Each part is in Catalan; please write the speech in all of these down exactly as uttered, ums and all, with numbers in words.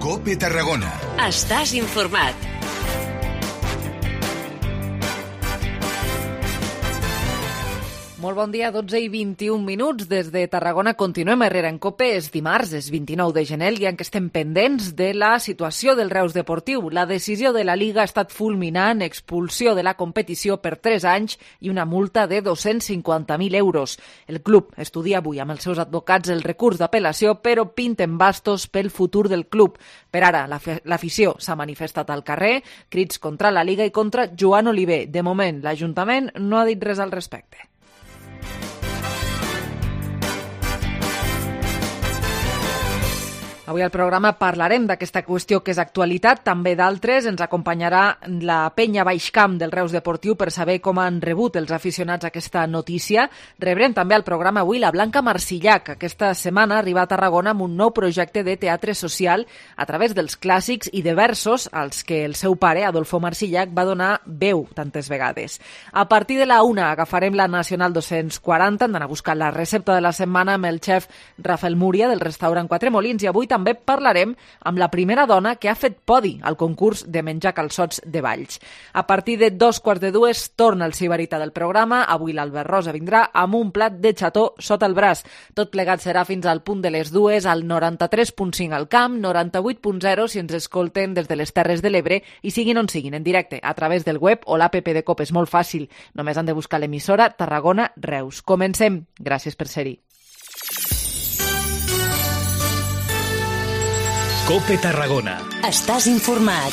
COPE Tarragona. Estàs informat. Molt bon dia, dotze i vint-i-un minuts. Des de Tarragona continuem a Herrera en COPE. És dimarts, és vint-i-nou de gener, i en què estem pendents de la situació del Reus Deportiu. La decisió de la Liga ha estat fulminant, expulsió de la competició per tres anys i una multa de dos-cents cinquanta mil euros. El club estudia avui amb els seus advocats el recurs d'apel·lació, però pinten bastos pel futur del club. Per ara, l'afició s'ha manifestat al carrer, crits contra la Liga i contra Joan Oliver. De moment, l'Ajuntament no ha dit res al respecte. Avui al programa parlarem d'aquesta qüestió que és actualitat, també d'altres. Ens acompanyarà la penya Baixcamp del Reus Deportiu per saber com han rebut els aficionats aquesta notícia. Rebrem també al programa avui la Blanca Marsillac. Aquesta setmana arriba a Tarragona amb un nou projecte de teatre social a través dels clàssics i de versos als que el seu pare, Adolfo Marsillac, va donar veu tantes vegades. A partir de la una agafarem la Nacional dos-cents quaranta, hem d'anar a buscar la recepta de la setmana amb el xef Rafael Múria del restaurant Quatre Molins, i avui també parlarem amb la primera dona que ha fet podi al concurs de menjar calçots de Valls. A partir de dos quarts de dues torna el Sibarita del programa. Avui l'Albert Rosa vindrà amb un plat de xató sota el braç. Tot plegat serà fins al punt de les dues al noranta-tres punt cinc al camp, noranta-vuit punt zero si ens escolten des de les Terres de l'Ebre i siguin on siguin, en directe, a través del web o l'app de COPE. És molt fàcil, només han de buscar l'emissora Tarragona Reus. Comencem. Gràcies per ser-hi. COPE Tarragona. Estàs informat.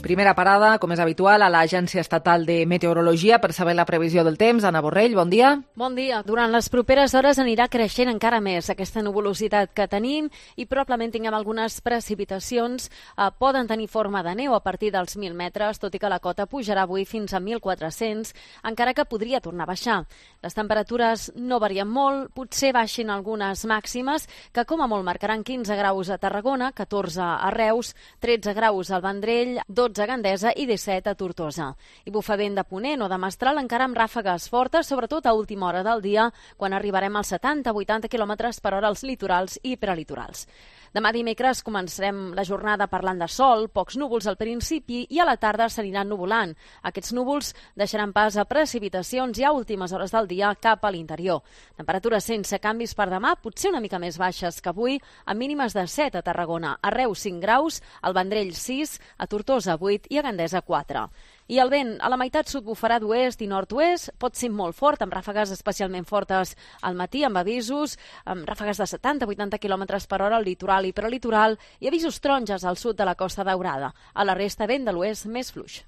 Primera parada, com és habitual, a l'Agència Estatal de Meteorologia per saber la previsió del temps. Anna Borrell, bon dia. Bon dia. Durant les properes hores anirà creixent encara més aquesta nuvolositat que tenim i probablement tinguem algunes precipitacions. Eh, poden tenir forma de neu a partir dels mil metres, tot i que la cota pujarà avui fins a mil quatre-cents, encara que podria tornar a baixar. Les temperatures no varien molt, potser baixin algunes màximes, que com a molt marcaran quinze graus a Tarragona, catorze a Reus, tretze graus al Vendrell, dotze a Gandesa i disset a Tortosa. I bufa vent de ponent o de mestral encara amb ràfegues fortes, sobretot a última hora del dia, quan arribarem als setanta a vuitanta quilòmetres per hora als litorals i prelitorals. Demà dimecres començarem la jornada parlant de sol, pocs núvols al principi i a la tarda s'aniran nuvolant. Aquests núvols deixaran pas a precipitacions i a últimes hores del dia cap a l'interior. Temperatures sense canvis per demà, potser una mica més baixes que avui, amb mínimes de set a Tarragona, a Reus cinc graus, al Vendrell sis, a Tortosa vuit i a Gandesa quatre. I el vent a la meitat sud bufarà d'oest i nord-oest, pot ser molt fort, amb ràfegues especialment fortes al matí, amb avisos, amb ràfegues de setanta a vuitanta quilòmetres per hora al litoral i prelitoral i avisos taronges al sud de la Costa Daurada. A la resta, vent de l'oest més fluix.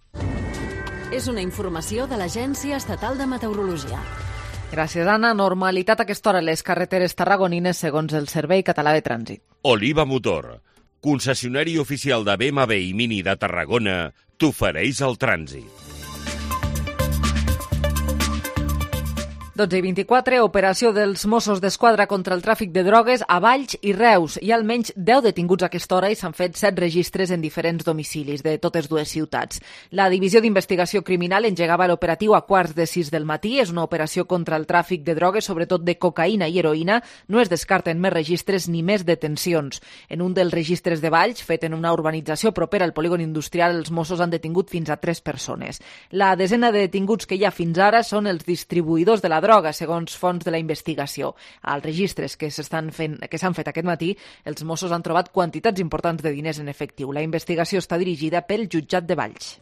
És una informació de l'Agència Estatal de Meteorologia. Gràcies, Anna. Normalitat a aquesta hora a les carreteres tarragonines segons el Servei Català de Trànsit. Oliva Motor, concessionari oficial de B M W i Mini de Tarragona, t'ofereix el trànsit. dotze i vint-i-quatre, operació dels Mossos d'Esquadra contra el tràfic de drogues a Valls i Reus. Hi ha almenys deu detinguts a aquesta hora i s'han fet set registres en diferents domicilis de totes dues ciutats. La Divisió d'Investigació Criminal engegava l'operatiu a quarts de sis del matí. És una operació contra el tràfic de drogues, sobretot de cocaïna i heroïna. No es descarten més registres ni més detencions. En un dels registres de Valls, fet en una urbanització propera al polígon industrial, els Mossos han detingut fins a tres persones. La desena de detinguts que hi ha fins ara són els distribuïdors de la droga, segons fonts de la investigació. Als registres que s'estan fent, que s'han fet aquest matí, els Mossos han trobat quantitats importants de diners en efectiu. La investigació està dirigida pel jutjat de Valls.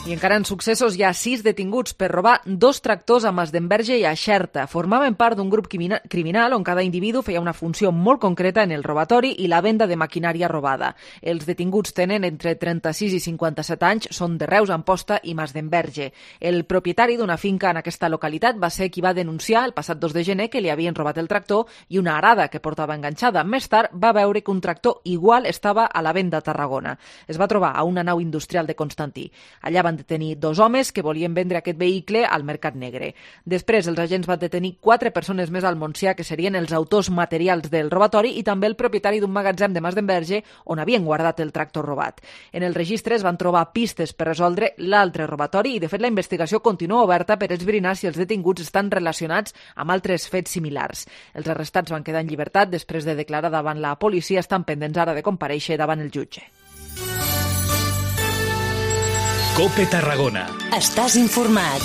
I encara en successos hi ha sis detinguts per robar dos tractors a Masdenverge i a Xerta. Formaven part d'un grup criminal on cada individu feia una funció molt concreta en el robatori i la venda de maquinària robada. Els detinguts tenen entre trenta-sis i cinquanta-set anys, són de Reus, Amposta i Masdenverge. El propietari d'una finca en aquesta localitat va ser qui va denunciar el passat dos de gener que li havien robat el tractor i una arada que portava enganxada. Més tard va veure que un tractor igual estava a la venda a Tarragona. Es va trobar a una nau industrial de Constantí. Allà van detenir dos homes que volien vendre aquest vehicle al mercat negre. Després, els agents van detenir quatre persones més al Montsià, que serien els autors materials del robatori, i també el propietari d'un magatzem de Mas d'Enverge on havien guardat el tractor robat. En el registre es van trobar pistes per resoldre l'altre robatori i, de fet, la investigació continua oberta per esbrinar si els detinguts estan relacionats amb altres fets similars. Els arrestats van quedar en llibertat després de declarar davant la policia, estan pendents ara de comparèixer davant el jutge. COPE Tarragona. Estàs informat.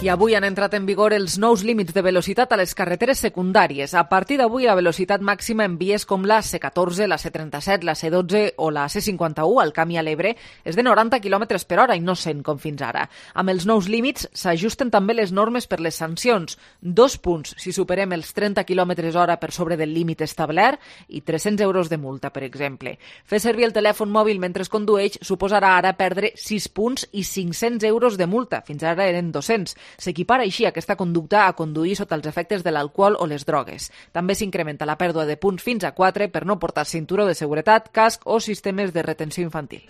I avui han entrat en vigor els nous límits de velocitat a les carreteres secundàries. A partir d'avui, la velocitat màxima en vies com la C catorze, la C trenta-set, la C dotze o la C cinquanta-u al Camp i a l'Ebre és de noranta quilòmetres per hora i no cent com fins ara. Amb els nous límits s'ajusten també les normes per les sancions. Dos punts si superem els trenta quilòmetres hora per sobre del límit establert i tres-cents euros de multa, per exemple. Fer servir el telèfon mòbil mentre es condueix suposarà ara perdre sis punts i cinc-cents euros de multa. Fins ara eren dos-cents. S'equipara així aquesta conducta a conduir sota els efectes de l'alcohol o les drogues. També s'incrementa la pèrdua de punts fins a quatre per no portar cinturó de seguretat, casc o sistemes de retenció infantil.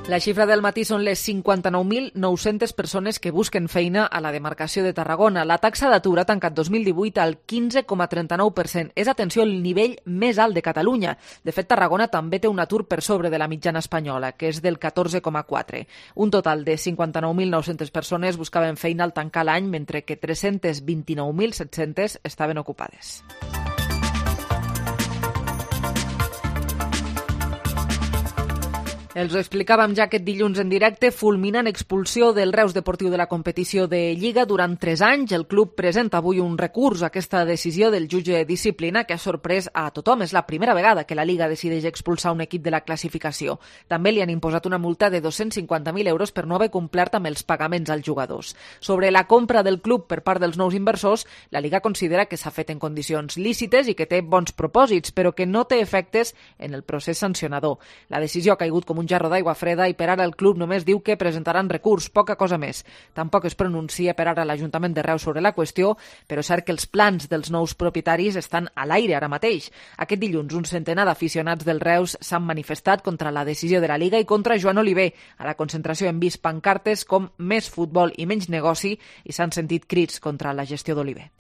La xifra del matí són les cinquanta-nou mil nou-centes persones que busquen feina a la demarcació de Tarragona. La taxa d'atur ha tancat dos mil divuit al quinze coma trenta-nou per cent. És, atenció, el nivell més alt de Catalunya. De fet, Tarragona també té un atur per sobre de la mitjana espanyola, que és del catorze coma quatre. Un total de cinquanta-nou mil nou-centes persones buscaven feina al tancar l'any, mentre que tres-cents vint-i-nou mil set-cents estaven ocupades. Els ho explicàvem ja aquest dilluns en directe, fulminant expulsió del Reus Deportiu de la competició de Lliga durant tres anys. El club presenta avui un recurs a aquesta decisió del jutge de disciplina que ha sorprès a tothom. És la primera vegada que la Lliga decideix expulsar un equip de la classificació. També li han imposat una multa de dos-cents cinquanta mil euros per no haver complert amb els pagaments als jugadors. Sobre la compra del club per part dels nous inversors, la Lliga considera que s'ha fet en condicions lícites i que té bons propòsits, però que no té efectes en el procés sancionador. La decisió ha caigut com un jarro d'aigua freda i per ara el club només diu que presentaran recurs, poca cosa més. Tampoc es pronuncia per ara l'Ajuntament de Reus sobre la qüestió, però és cert que els plans dels nous propietaris estan a l'aire ara mateix. Aquest dilluns un centenar d'aficionats del Reus s'han manifestat contra la decisió de la Lliga i contra Joan Oliver. A la concentració hem vist pancartes com més futbol i menys negoci i s'han sentit crits contra la gestió d'Oliver.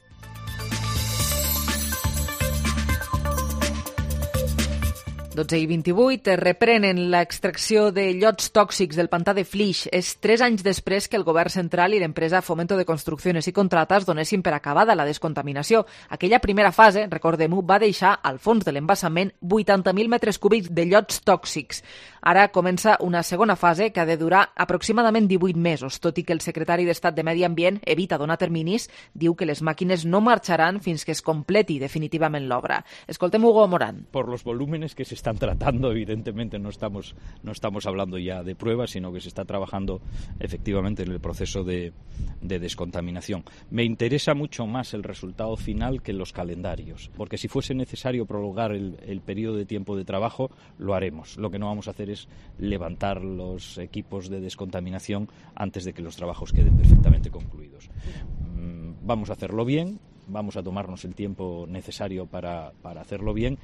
dotze i vint-i-vuit reprenen l'extracció de llots tòxics del pantà de Flix. És tres anys després que el govern central i l'empresa Fomento de Construcciones i Contratas donessin per acabada la descontaminació. Aquella primera fase, recordem-ho, va deixar al fons de l'embassament vuitanta mil metres cúbics de llots tòxics. Ara comença una segona fase que ha de durar aproximadament divuit mesos, tot i que el secretari d'Estat de Medi Ambient evita donar terminis, diu que les màquines no marxaran fins que es completi definitivament l'obra. Escoltem Hugo Morán. Por los volúmenes que se están tratando, evidentemente no estamos, no estamos hablando ya de pruebas, sino que se está trabajando efectivamente en el proceso de, de descontaminación. Me interesa mucho más el resultado final que los calendarios, porque si fuese necesario prolongar el, el periodo de tiempo de trabajo, lo haremos. Lo que no vamos a hacer es levantar los equipos de descontaminación antes de que los trabajos queden perfectamente concluidos. Vamos a hacerlo bien, vamos a tomarnos el tiempo necesario para, para hacerlo bien.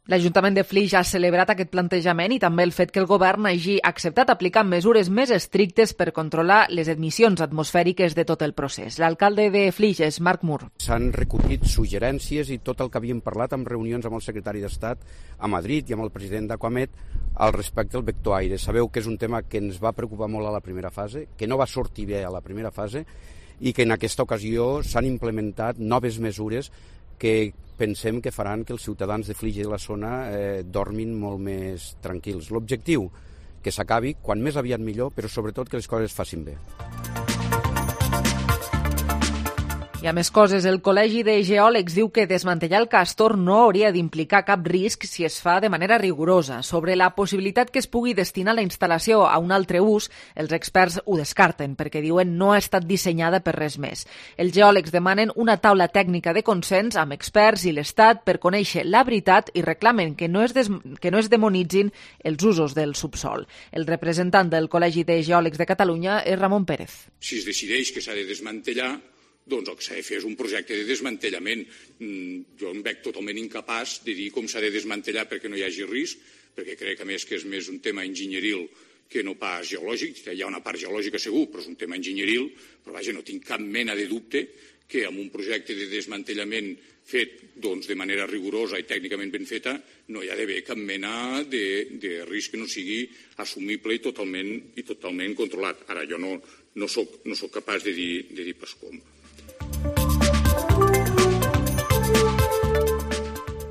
L'Ajuntament de Flix ha celebrat aquest plantejament i també el fet que el govern hagi acceptat aplicar mesures més estrictes per controlar les emissions atmosfèriques de tot el procés. L'alcalde de Flix és Marc Mur. S'han recollit suggerències i tot el que havíem parlat en reunions amb el secretari d'Estat a Madrid i amb el president d'Aquamet al respecte al vector aire. Sabeu que és un tema que ens va preocupar molt a la primera fase, que no va sortir bé a la primera fase i que en aquesta ocasió s'han implementat noves mesures que pensem que faran que els ciutadans de Flix i de la zona eh, dormin molt més tranquils. L'objectiu, que s'acabi, quan més aviat millor, però sobretot que les coses es facin bé. I a més coses, el Col·legi de Geòlegs diu que desmantellar el castor no hauria d'implicar cap risc si es fa de manera rigorosa. Sobre la possibilitat que es pugui destinar la instal·lació a un altre ús, els experts ho descarten perquè diuen no ha estat dissenyada per res més. Els geòlegs demanen una taula tècnica de consens amb experts i l'Estat per conèixer la veritat i reclamen que no es, des... que no es demonitzin els usos del subsol. El representant del Col·legi de Geòlegs de Catalunya és Ramon Pérez. Si es decideix que s'ha de desmantellar, doncs el que s'ha de fer és un projecte de desmantellament. Jo em veig totalment incapaç de dir com s'ha de desmantellar perquè no hi hagi risc, perquè crec, a més, que és més un tema enginyeril que no pas geològic. Hi ha una part geològica segur, però és un tema enginyeril. Però, vaja, no tinc cap mena de dubte que amb un projecte de desmantellament fet doncs, de manera rigorosa i tècnicament ben feta no hi ha d'haver cap mena de, de risc que no sigui assumible i totalment, i totalment controlat. Ara, jo no, no, soc, no soc capaç de dir, de dir pas com.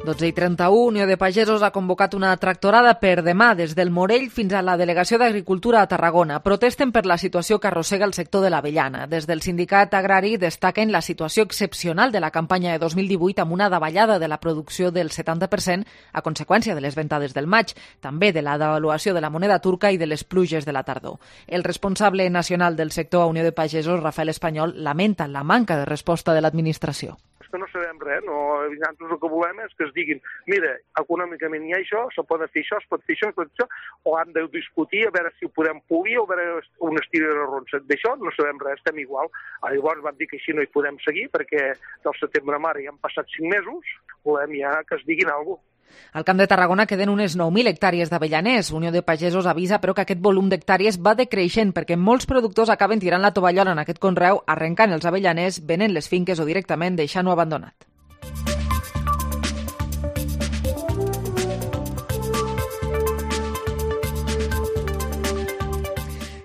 dotze i trenta-u, Unió de Pagesos ha convocat una tractorada per demà des del Morell fins a la Delegació d'Agricultura a Tarragona. Protesten per la situació que arrossega el sector de l'avellana. Des del sindicat agrari destaquen la situació excepcional de la campanya de dos mil divuit amb una davallada de la producció del setanta per cent a conseqüència de les ventades del maig, també de la devaluació de la moneda turca i de les pluges de la tardor. El responsable nacional del sector a Unió de Pagesos, Rafael Espanyol, lamenta la manca de resposta de l'administració. Que no sabem res, no, nosaltres el que volem és que es diguin, mira, econòmicament hi ha això, se pot fer això, es pot fer això, es pot fer això, o han de discutir a veure si ho podem polir o a veure un estir de ronça. D'això no sabem res, estem igual. Llavors van dir que així no hi podem seguir perquè del setembre a mare ja han passat cinc mesos, volem ja que es diguin alguna cosa. Al Camp de Tarragona queden unes nou mil hectàrees d'avellaners. Unió de Pagesos avisa, però, que aquest volum d'hectàrees va decreixent perquè molts productors acaben tirant la tovallola en aquest conreu, arrencant els avellaners, venent les finques o directament deixant-ho abandonat.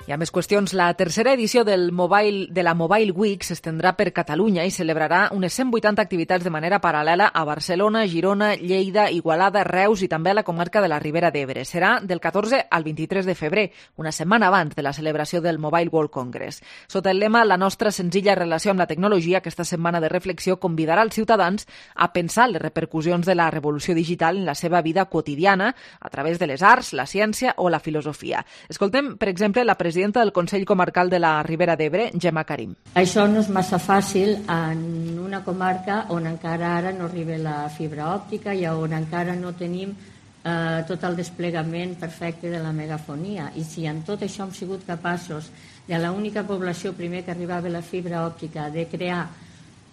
Hi ha més qüestions. La tercera edició del Mobile, de la Mobile Week s'estendrà per Catalunya i celebrarà unes cent vuitanta activitats de manera paral·lela a Barcelona, Girona, Lleida, Igualada, Reus i també a la comarca de la Ribera d'Ebre. Serà del catorze al vint-i-tres de febrer, una setmana abans de la celebració del Mobile World Congress. Sota el lema La nostra senzilla relació amb la tecnologia, aquesta setmana de reflexió convidarà els ciutadans a pensar les repercussions de la revolució digital en la seva vida quotidiana a través de les arts, la ciència o la filosofia. Escoltem, per exemple, la presidenta del Consell Comarcal de la Ribera d'Ebre, Gemma Karim. Això no és massa fàcil en una comarca on encara ara no arriba la fibra òptica i on encara no tenim eh, tot el desplegament perfecte de la megafonia. I si en tot això hem sigut capaços de l'única població primer que arribava la fibra òptica de crear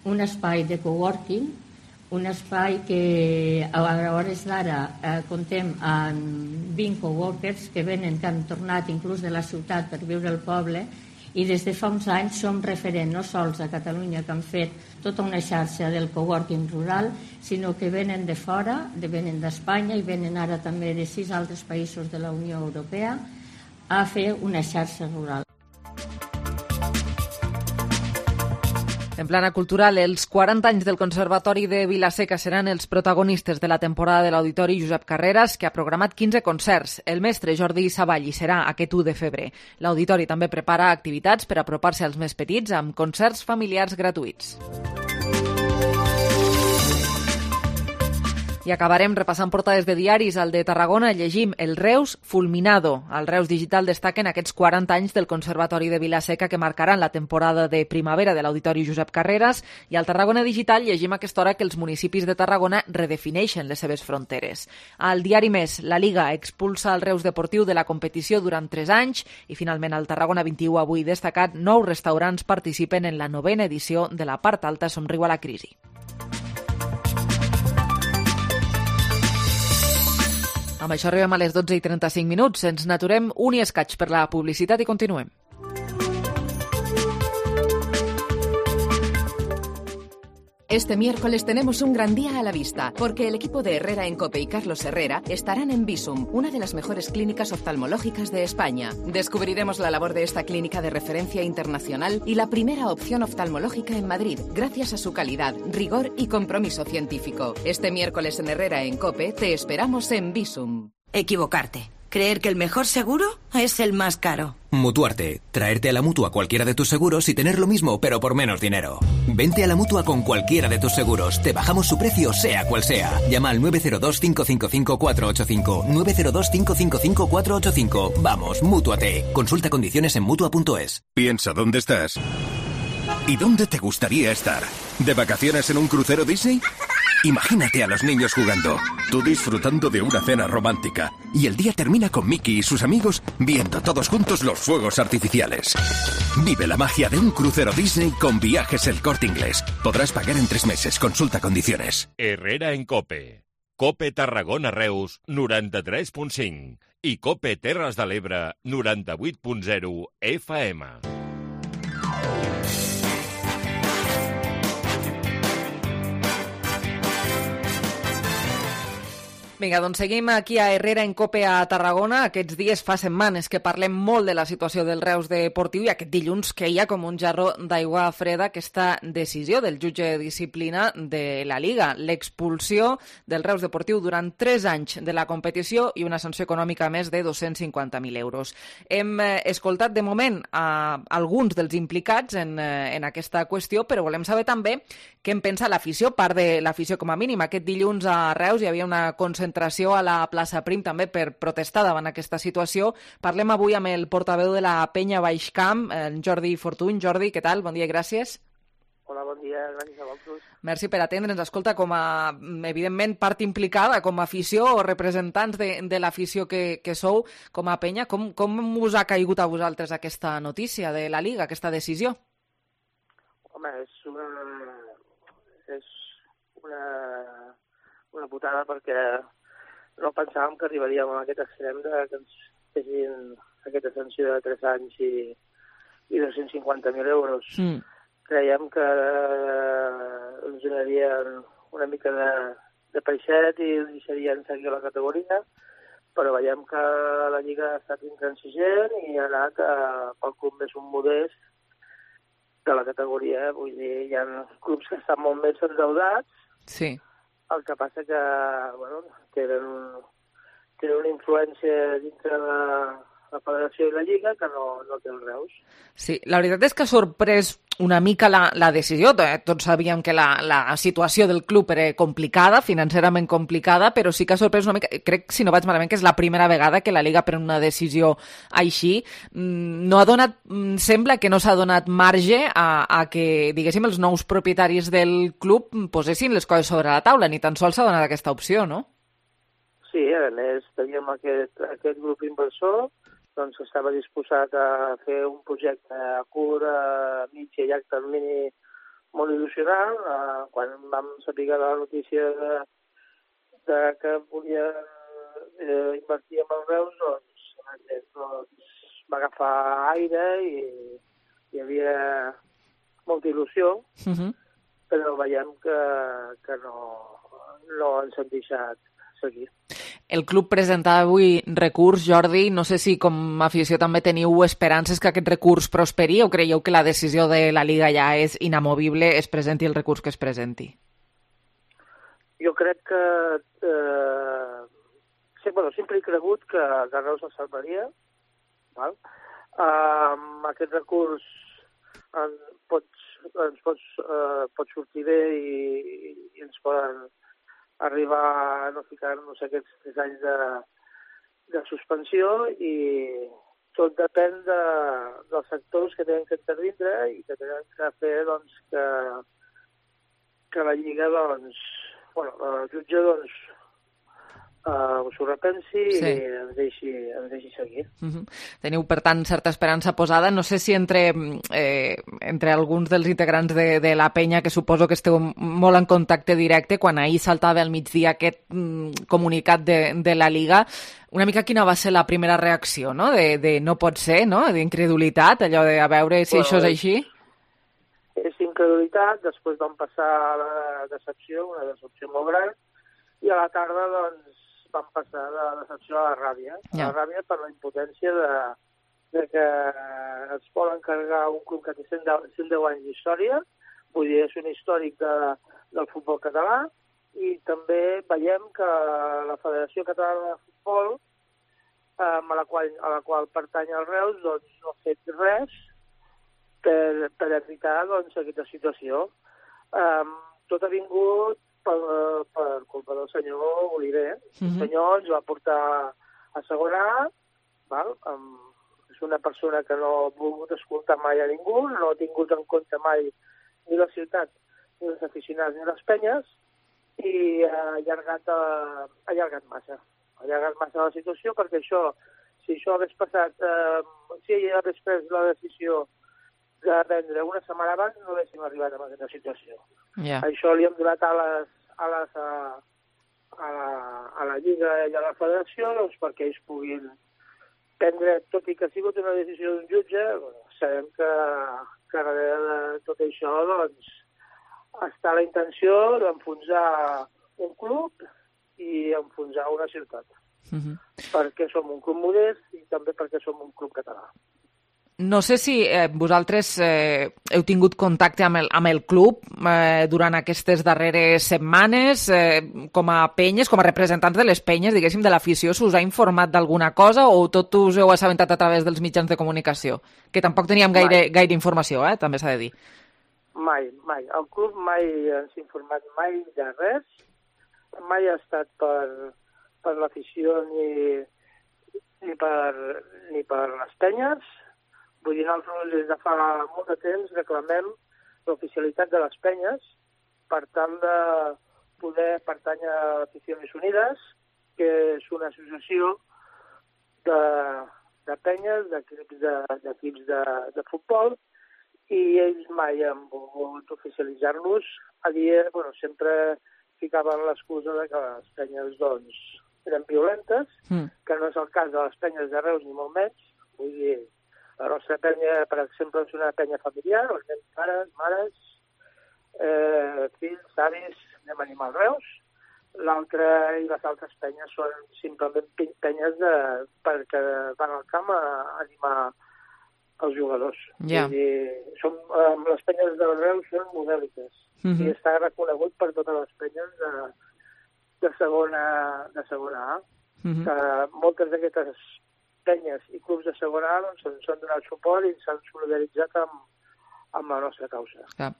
un espai de coworking, un espai que a hores d'ara eh, comptem amb vint coworkers que venen, que han tornat inclús de la ciutat per viure al poble, i des de fa uns anys som referent no sols a Catalunya, que han fet tota una xarxa del coworking rural, sinó que venen de fora, de venen d'Espanya i venen ara també de sis altres països de la Unió Europea a fer una xarxa rural. En plana cultural, els quaranta anys del Conservatori de Vila-seca seran els protagonistes de la temporada de l'Auditori Josep Carreras, que ha programat quinze concerts. El mestre Jordi Savall hi serà aquest u de febrer. L'Auditori també prepara activitats per apropar-se als més petits amb concerts familiars gratuïts. I acabarem repassant portades de diaris. Al de Tarragona llegim El Reus fulminado. Al Reus Digital destaquen aquests quaranta anys del Conservatori de Vila-seca que marcaran la temporada de primavera de l'Auditori Josep Carreras, i al Tarragona Digital llegim a aquesta hora que els municipis de Tarragona redefineixen les seves fronteres. Al diari Més, la Liga expulsa el Reus Deportiu de la competició durant tres anys i finalment al Tarragona vint-i-u avui destacat nou restaurants participen en la novena edició de la part alta Somriu a la crisi. Amb això arribem a les dotze i trenta-cinc minuts. Ens n'aturem un i escaig per la publicitat i continuem. Este miércoles tenemos un gran día a la vista, porque el equipo de Herrera en COPE y Carlos Herrera estarán en Visum, una de las mejores clínicas oftalmológicas de España. Descubriremos la labor de esta clínica de referencia internacional y la primera opción oftalmológica en Madrid, gracias a su calidad, rigor y compromiso científico. Este miércoles en Herrera en COPE te esperamos en Visum. Equivocarte. Creer que el mejor seguro es el más caro. Mutuarte. Traerte a la Mutua cualquiera de tus seguros y tener lo mismo, pero por menos dinero. Vente a la Mutua con cualquiera de tus seguros. Te bajamos su precio, sea cual sea. Llama al nueve cero dos, cinco cinco cinco, cuatro ocho cinco. nueve cero dos, cinco cinco cinco, cuatro ocho cinco. Vamos, Mútuate. Consulta condiciones en Mutua punto es. Piensa dónde estás y dónde te gustaría estar. ¿De vacaciones en un crucero Disney? Imagínate a los niños jugando, tú disfrutando de una cena romántica, y el día termina con Mickey y sus amigos viendo todos juntos los fuegos artificiales. Vive la magia de un crucero Disney con Viajes El Corte Inglés. Podrás pagar en tres meses. Consulta condiciones. Herrera en Cope. Cope Tarragona Reus, noranta-tres punt cinc. I Cope Terres de l'Ebre, noranta-vuit punt zero F M. Vinga, doncs seguim aquí a Herrera en Cope a Tarragona. Aquests dies fa setmanes que parlem molt de la situació del Reus Deportiu i aquest dilluns queia com un jarró d'aigua freda aquesta decisió del jutge de disciplina de la Liga, l'expulsió del Reus Deportiu durant tres anys de la competició i una sanció econòmica més de dos-cents cinquanta mil euros. Hem eh, escoltat de moment a alguns dels implicats en, eh, en aquesta qüestió, però volem saber també què en pensa l'afició, part de l'afició com a mínim. Aquest dilluns a Reus hi havia una concentració a la plaça Prim també per protestar davant aquesta situació. Parlem avui amb el portaveu de la Penya Baixcamp, en Jordi Fortuny. Jordi, què tal? Bon dia i gràcies. Hola, bon dia, gràcies a vosaltres. Merci per atendre'ns. Escolta, com a, evidentment, part implicada, com a afició o representants de, de l'afició que, que sou, com a Penya, com, com us ha caigut a vosaltres aquesta notícia de la Liga, aquesta decisió? Home, és una... és una... una putada perquè no pensàvem que arribaríem a aquest extrem de que ens fessin aquesta sanció de tres anys i, i dos-cents cinquanta mil euros. Mm. Creiem que eh, ens donarien una mica de, de peixet i deixarien seguir la categoria, però veiem que la Lliga ha estat intransigent i ha anat eh, pel club més un modest de la categoria. Vull dir, hi ha clubs que estan molt més endeudats. Sí. El que passa que, bueno, tenen, tenen una influència dintre de la Federació i la Lliga que no, no té el Reus. Sí, la veritat és que ha sorprès una mica la, la decisió. Tots sabíem que la, la situació del club era complicada, financerament complicada, però sí que ha sorprès una mica. Crec, si no vaig malament, que és la primera vegada que la Liga pren una decisió així. No ha donat, sembla que no s'ha donat marge a, a que, diguéssim, els nous propietaris del club posessin les coses sobre la taula. Ni tan sols s'ha donat aquesta opció, no? Sí, a més, teníem aquest, aquest grup inversor doncs estava disposat a fer un projecte a curt, a mig i a llarg termini molt il·lusionant. Eh, quan vam saber la notícia de, de que volia eh, invertir en el Reus, doncs, doncs va agafar aire i hi havia molta il·lusió, uh-huh. però veiem que, que no, no ens han deixat seguir. El club presentava avui recurs, Jordi. No sé si com a afició també teniu esperances que aquest recurs prosperi o creieu que la decisió de la Liga ja és inamovible, es presenti el recurs que es presenti? Jo crec que... Eh, sí, bueno, sempre he cregut que el Reus el salvaria. Val? Um, aquest recurs en pots, ens pots, uh, pot sortir bé i, i ens poden arribar a no ficar-nos aquests tres anys de, de suspensió i tot depèn de, dels sectors que tenen que intervindre i que tenen que fer doncs, que, que la Lliga doncs, bueno, el jutge doncs, uh, s'ho repensi sí. i ens deixi, ens deixi seguir. Uh-huh. Teniu, per tant, certa esperança posada. No sé si entre, eh, entre alguns dels integrants de, de la Penya, que suposo que esteu molt en contacte directe, quan ahir saltava al migdia aquest mm, comunicat de, de la Liga, una mica quina va ser la primera reacció, no? De, de no pot ser, no? D'incredulitat, allò de a veure si bueno, això és així? És incredulitat, després vam passar a la decepció, una decepció molt gran, i a la tarda, doncs, van passar de la decepció a la ràbia. Ja. La ràbia per la impotència de, de que es poden carregar un club que té cent deu anys d'història, vull dir, és un històric de, del futbol català, i també veiem que la Federació Catalana de Futbol, eh, a, la qual, a la qual pertany el Reus, doncs no ha fet res per, per evitar doncs, aquesta situació. Eh, tot ha vingut Per, per culpa del senyor Oliver. Uh-huh. El senyor ens va portar a segona, val? Um, és una persona que no ha volgut escoltar mai a ningú, no ha tingut en compte mai ni la ciutat, ni els aficionats, ni les penyes, i ha allargat, ha allargat massa. Ha allargat massa la situació perquè això, si això hagués passat, eh, si ell hagués pres la decisió de vendre una setmana abans, no haguéssim arribat a aquesta situació. Yeah. Això li hem donat ales, ales a, a, la, a la Lliga i a la Federació doncs, perquè ells puguin prendre, tot i que ha sigut una decisió d'un jutge, bueno, sabem que, que darrere de tot això doncs, està la intenció d'enfonsar un club i enfonsar una ciutat. Uh-huh. Perquè som un club modest i també perquè som un club català. No sé si eh, vosaltres eh, heu tingut contacte amb el, amb el club eh, durant aquestes darreres setmanes, eh, com a penyes, com a representants de les penyes, diguéssim, de l'afició, s'us ha informat d'alguna cosa o tot us heu assabentat a través dels mitjans de comunicació? Que tampoc teníem gaire, gaire informació, eh, també s'ha de dir. Mai, mai. El club mai ens ha informat mai de res, mai ha estat per, per l'afició ni, ni, per, ni per les penyes. Vull dir, nosaltres des de fa molt de temps reclamem l'oficialitat de les penyes per tal de poder pertànyer a Aficiones Unides, que és una associació de, de penyes, d'equips de, d'equips de, de futbol, i ells mai han volgut oficialitzar-los. A dia, bueno, sempre ficaven l'excusa de que les penyes, doncs, eren violentes, mm. que no és el cas de les penyes de Reus ni molt menys. Vull dir, la nostra penya, per exemple, és una penya familiar, on anem pares, mares, eh, fills, avis, anem a animar Reus. L'altra i les altres penyes són simplement penyes de, perquè van al camp a animar els jugadors. Yeah. Vull dir, som, eh, les penyes de Reus són modèliques mm-hmm. i està reconegut per totes les penyes de, de, segona, de segona A. Mm-hmm. Que moltes d'aquestes penyes i clubs de segona A doncs, ens han donat suport i s'han solidaritzat amb, amb la nostra causa. Clar.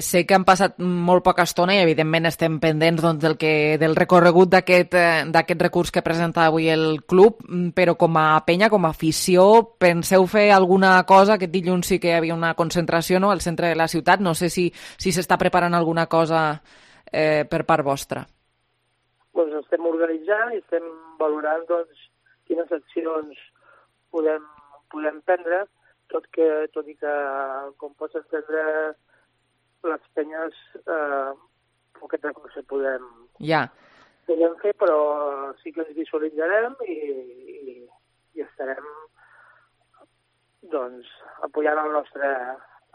Sé que han passat molt poca estona i evidentment estem pendents doncs, del, que, del recorregut d'aquest d'aquest recurs que presenta avui el club, però com a penya, com a afició, penseu fer alguna cosa? Aquest dilluns sí que hi havia una concentració, no?, al centre de la ciutat. No sé si si s'està preparant alguna cosa eh, per part vostra. Doncs estem organitzant i estem valorant doncs, quines accions podem, podem prendre, tot, que, tot i que, com pots entendre, les penyes eh, aquest recurs podem, ja. podem fer, però sí que ens visualitzarem i, i, i estarem doncs, apoyant el nostre,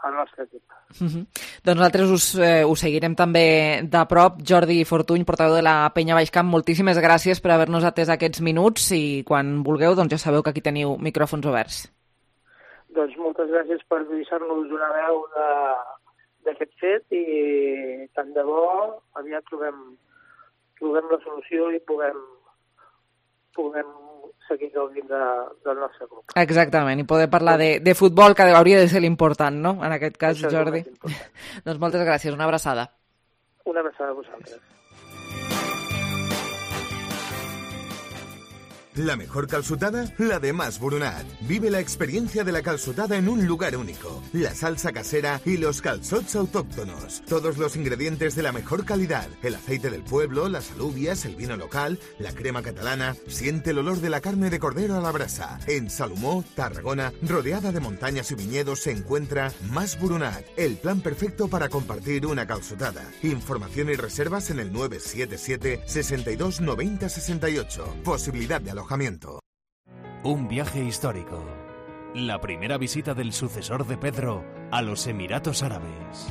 el nostre equip. Uh-huh. Doncs nosaltres us, eh, us seguirem també de prop. Jordi Fortuny, portador de la Penya Baix Camp, moltíssimes gràcies per haver-nos atès aquests minuts i quan vulgueu doncs ja sabeu que aquí teniu micròfons oberts. Doncs moltes gràcies per deixar-nos una veu d'aquest fet i tant de bo aviat trobem, trobem la solució i puguem, puguem seguir gaudint de, del nostre club. Exactament, i poder parlar de, de futbol, que hauria de ser l'important, no?, en aquest cas, això Jordi. Doncs moltes gràcies, una abraçada. Una abraçada a vosaltres. La mejor calçotada, la de Mas Boronat. Vive la experiencia de la calçotada en un lugar único. La salsa casera y los calçots autóctonos. Todos los ingredientes de la mejor calidad. El aceite del pueblo, las alubias, el vino local, la crema catalana. Siente el olor de la carne de cordero a la brasa. En Salomó, Tarragona, rodeada de montañas y viñedos, se encuentra Mas Boronat. El plan perfecto para compartir una calçotada. Información y reservas en el nueve siete siete, sesenta y dos, noventa, sesenta y ocho. Posibilidad de alojamiento. Un viaje histórico. La primera visita del sucesor de Pedro a los Emiratos Árabes.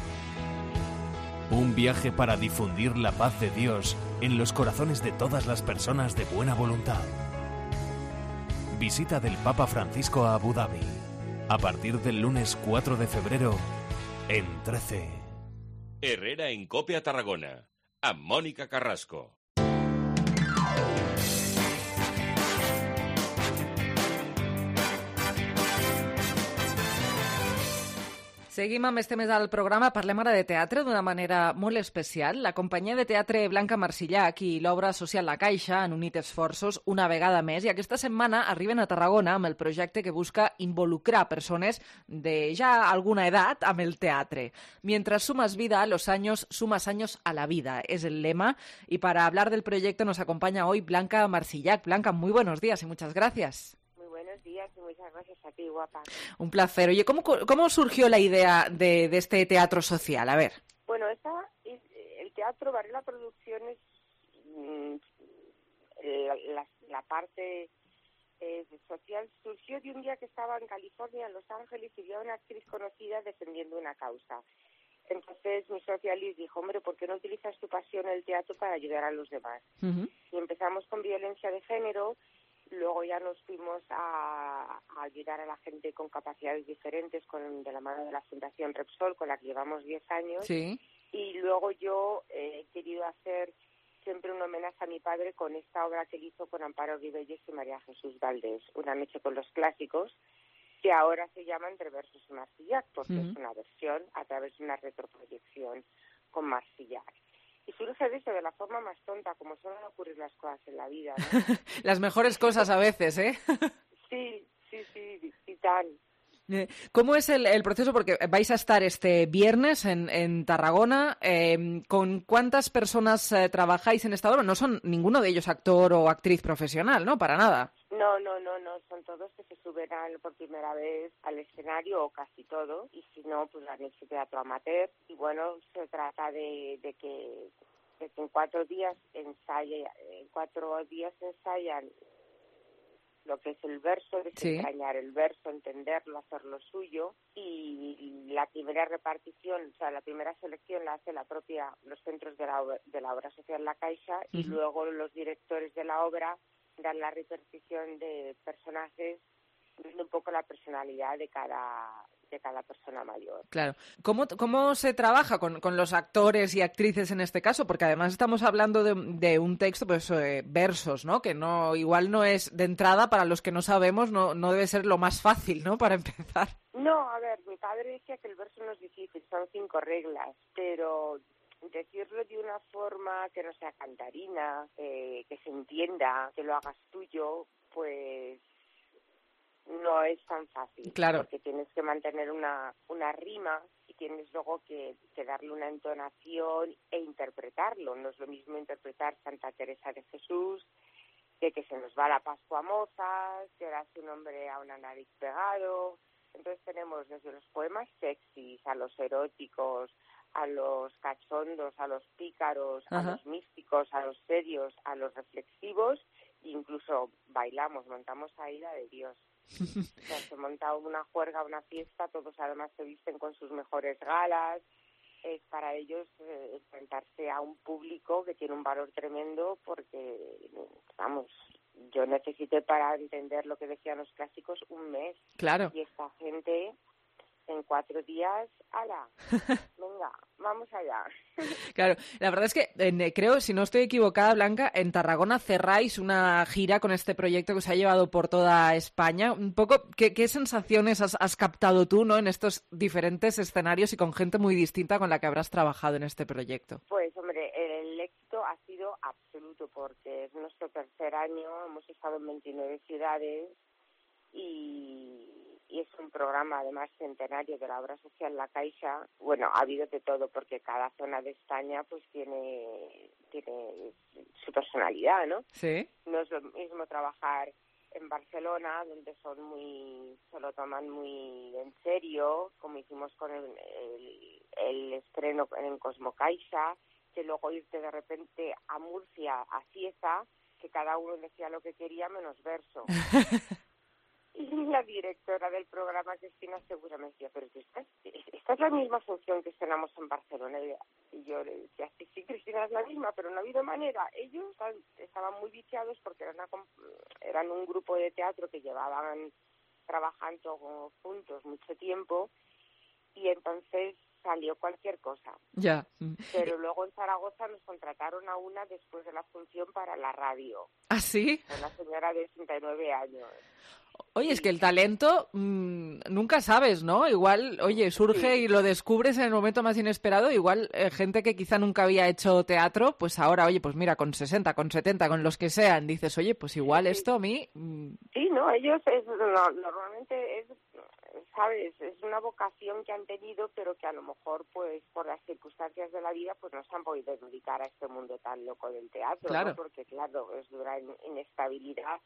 Un viaje para difundir la paz de Dios en los corazones de todas las personas de buena voluntad. Visita del Papa Francisco a Abu Dhabi. A partir del lunes cuatro de febrero en trece. Herrera en Cope a Tarragona. Amb Mònica Carrasco. Seguim amb este mes al programa. Parlem ara de teatre d'una manera molt especial. La companyia de teatre Blanca Marsillac i l'obra social La Caixa han unit esforços una vegada més i aquesta setmana arriben a Tarragona amb el projecte que busca involucrar persones de ja alguna edat amb el teatre. Mientras sumas vida a los años, sumas años a la vida. Es el lema. Y para hablar del proyecto nos acompaña hoy Blanca Marsillac. Blanca, muy buenos días y muchas gracias. Buenos días y muchas gracias a ti, guapa. Un placer. Oye, ¿cómo, cómo surgió la idea de, de este teatro social? A ver. Bueno, esta, el teatro Varela Producciones, la, la, la parte eh, social surgió de un día que estaba en California, en Los Ángeles, y vi a una actriz conocida defendiendo una causa. Entonces mi socia Liz dijo, hombre, ¿por qué no utilizas tu pasión en el teatro para ayudar a los demás? Uh-huh. Y empezamos con violencia de género. Luego ya nos fuimos a, a ayudar a la gente con capacidades diferentes con, de la mano de la Fundación Repsol, con la que llevamos diez años. Sí. Y luego yo eh, he querido hacer siempre un homenaje a mi padre con esta obra que él hizo con Amparo Ribelles y María Jesús Valdés, Una noche con los clásicos, que ahora se llama Entre versos y Marsillac, porque uh-huh. es una versión a través de una retroproyección con Marsillac. Y surge de eso, de la forma más tonta, como suelen ocurrir las cosas en la vida, ¿no? Las mejores cosas a veces, ¿eh? Sí, sí, sí, y tan. ¿Cómo es el, el proceso? Porque vais a estar este viernes en, en Tarragona. Eh, ¿Con cuántas personas eh, trabajáis en esta obra? No son ninguno de ellos actor o actriz profesional, ¿no? Para nada. No, no, no, no. Son todos que se suben al, por primera vez al escenario, o casi todos. Y si no, pues han hecho teatro amateur. Y bueno, se trata de, de, que, de que en cuatro días ensaya, en cuatro días ensayan lo que es el verso, desentrañar sí. el verso, entenderlo, hacerlo suyo, y la primera repartición, o sea, la primera selección la hace la propia, los centros de la, obra, de la obra social La Caixa, uh-huh. y luego los directores de la obra dan la repartición de personajes, viendo un poco la personalidad de cada de cada persona mayor. Claro. ¿Cómo, cómo se trabaja con, con los actores y actrices en este caso? Porque además estamos hablando de, de un texto, pues eh, versos, ¿no? Que no igual no es de entrada, para los que no sabemos, no, no debe ser lo más fácil, ¿no? Para empezar. No, a ver, mi padre decía que el verso no es difícil, son cinco reglas, pero decirlo de una forma que no sea cantarina, eh, que se entienda, que lo hagas tuyo, pues no es tan fácil, claro. Porque tienes que mantener una, una rima y tienes luego que, que darle una entonación e interpretarlo. No es lo mismo interpretar Santa Teresa de Jesús que que se nos va la Pascua moza, que da su nombre a una nariz pegado. Entonces tenemos desde los poemas sexys, a los eróticos, a los cachondos, a los pícaros, Ajá. a los místicos, a los serios, a los reflexivos, e incluso bailamos, montamos a ira de Dios. O sea, se monta una juerga, una fiesta, todos además se visten con sus mejores galas. Es para ellos eh, enfrentarse a un público que tiene un valor tremendo, porque, vamos, yo necesité para entender lo que decían los clásicos un mes. Claro. Y esta gente en cuatro días, ¡hala! Venga, vamos allá. Claro, la verdad es que eh, creo, si no estoy equivocada, Blanca, en Tarragona cerráis una gira con este proyecto que os ha llevado por toda España. Un poco, ¿qué, qué sensaciones has, has captado tú, ¿no?, en estos diferentes escenarios y con gente muy distinta con la que habrás trabajado en este proyecto? Pues, hombre, el éxito ha sido absoluto, porque es nuestro tercer año, hemos estado en veintinueve ciudades y... y es un programa además centenario de la obra social La Caixa. Bueno, ha habido de todo, porque cada zona de España pues tiene tiene su personalidad, ¿no? Sí. No es lo mismo trabajar en Barcelona, donde son muy se lo toman muy en serio, como hicimos con el, el, el estreno en Cosmo Caixa, que luego irte de repente a Murcia, a Cieza, que cada uno decía lo que quería menos verso. Y la directora del programa, Cristina Segura, me decía, pero esta, esta es la misma función que estrenamos en Barcelona. Y yo le decía, sí, sí, Cristina, es la misma, pero no ha habido manera. Ellos estaban muy viciados porque eran, una, eran un grupo de teatro que llevaban trabajando juntos mucho tiempo, y entonces salió cualquier cosa. Ya. Pero luego en Zaragoza nos contrataron a una después de la función para la radio. ¿Ah, sí? Una señora de sesenta y nueve años. Oye, es que el talento mmm, nunca sabes, ¿no? Igual, oye, surge sí. y lo descubres en el momento más inesperado. Igual eh, gente que quizá nunca había hecho teatro, pues ahora, oye, pues mira, con sesenta, con setenta, con los que sean, dices, oye, pues igual sí. esto a mí... Mmm... Sí, no, ellos es, no, normalmente es, sabes, es una vocación que han tenido, pero que a lo mejor, pues, por las circunstancias de la vida, pues no se han podido dedicar a este mundo tan loco del teatro, claro. ¿no? Porque, claro, es dura inestabilidad.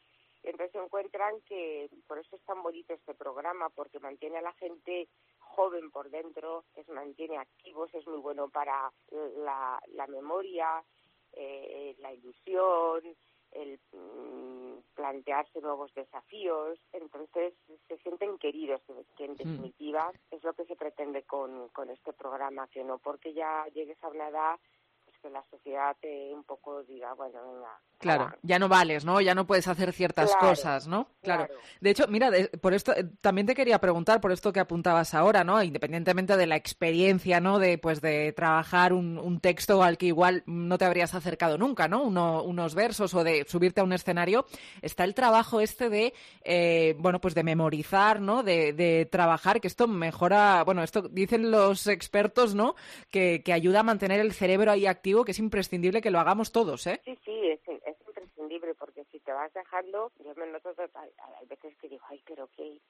Entonces se encuentran que, por eso es tan bonito este programa, porque mantiene a la gente joven por dentro, les mantiene activos, es muy bueno para la, la memoria, eh, la ilusión, el mm, plantearse nuevos desafíos. Entonces se sienten queridos, que en definitiva mm. es lo que se pretende con, con este programa, que no porque ya llegues a una edad pues que la sociedad te un poco diga, bueno, venga. Claro, ah. ya no vales, ¿no? Ya no puedes hacer ciertas claro, cosas, ¿no? Claro. claro. De hecho, mira, de, por esto eh, también te quería preguntar, por esto que apuntabas ahora, ¿no? Independientemente de la experiencia, ¿no? De, pues, de trabajar un, un texto al que igual no te habrías acercado nunca, ¿no? Uno, unos versos o de subirte a un escenario. Está el trabajo este de, eh, bueno, pues de memorizar, ¿no? De, de trabajar, que esto mejora, bueno, esto dicen los expertos, ¿no? Que, que ayuda a mantener el cerebro ahí activo, que es imprescindible que lo hagamos todos, ¿eh? Sí, sí, es, es imprescindible, porque si te vas dejando, yo me noto, hay veces que digo, ay, pero qué,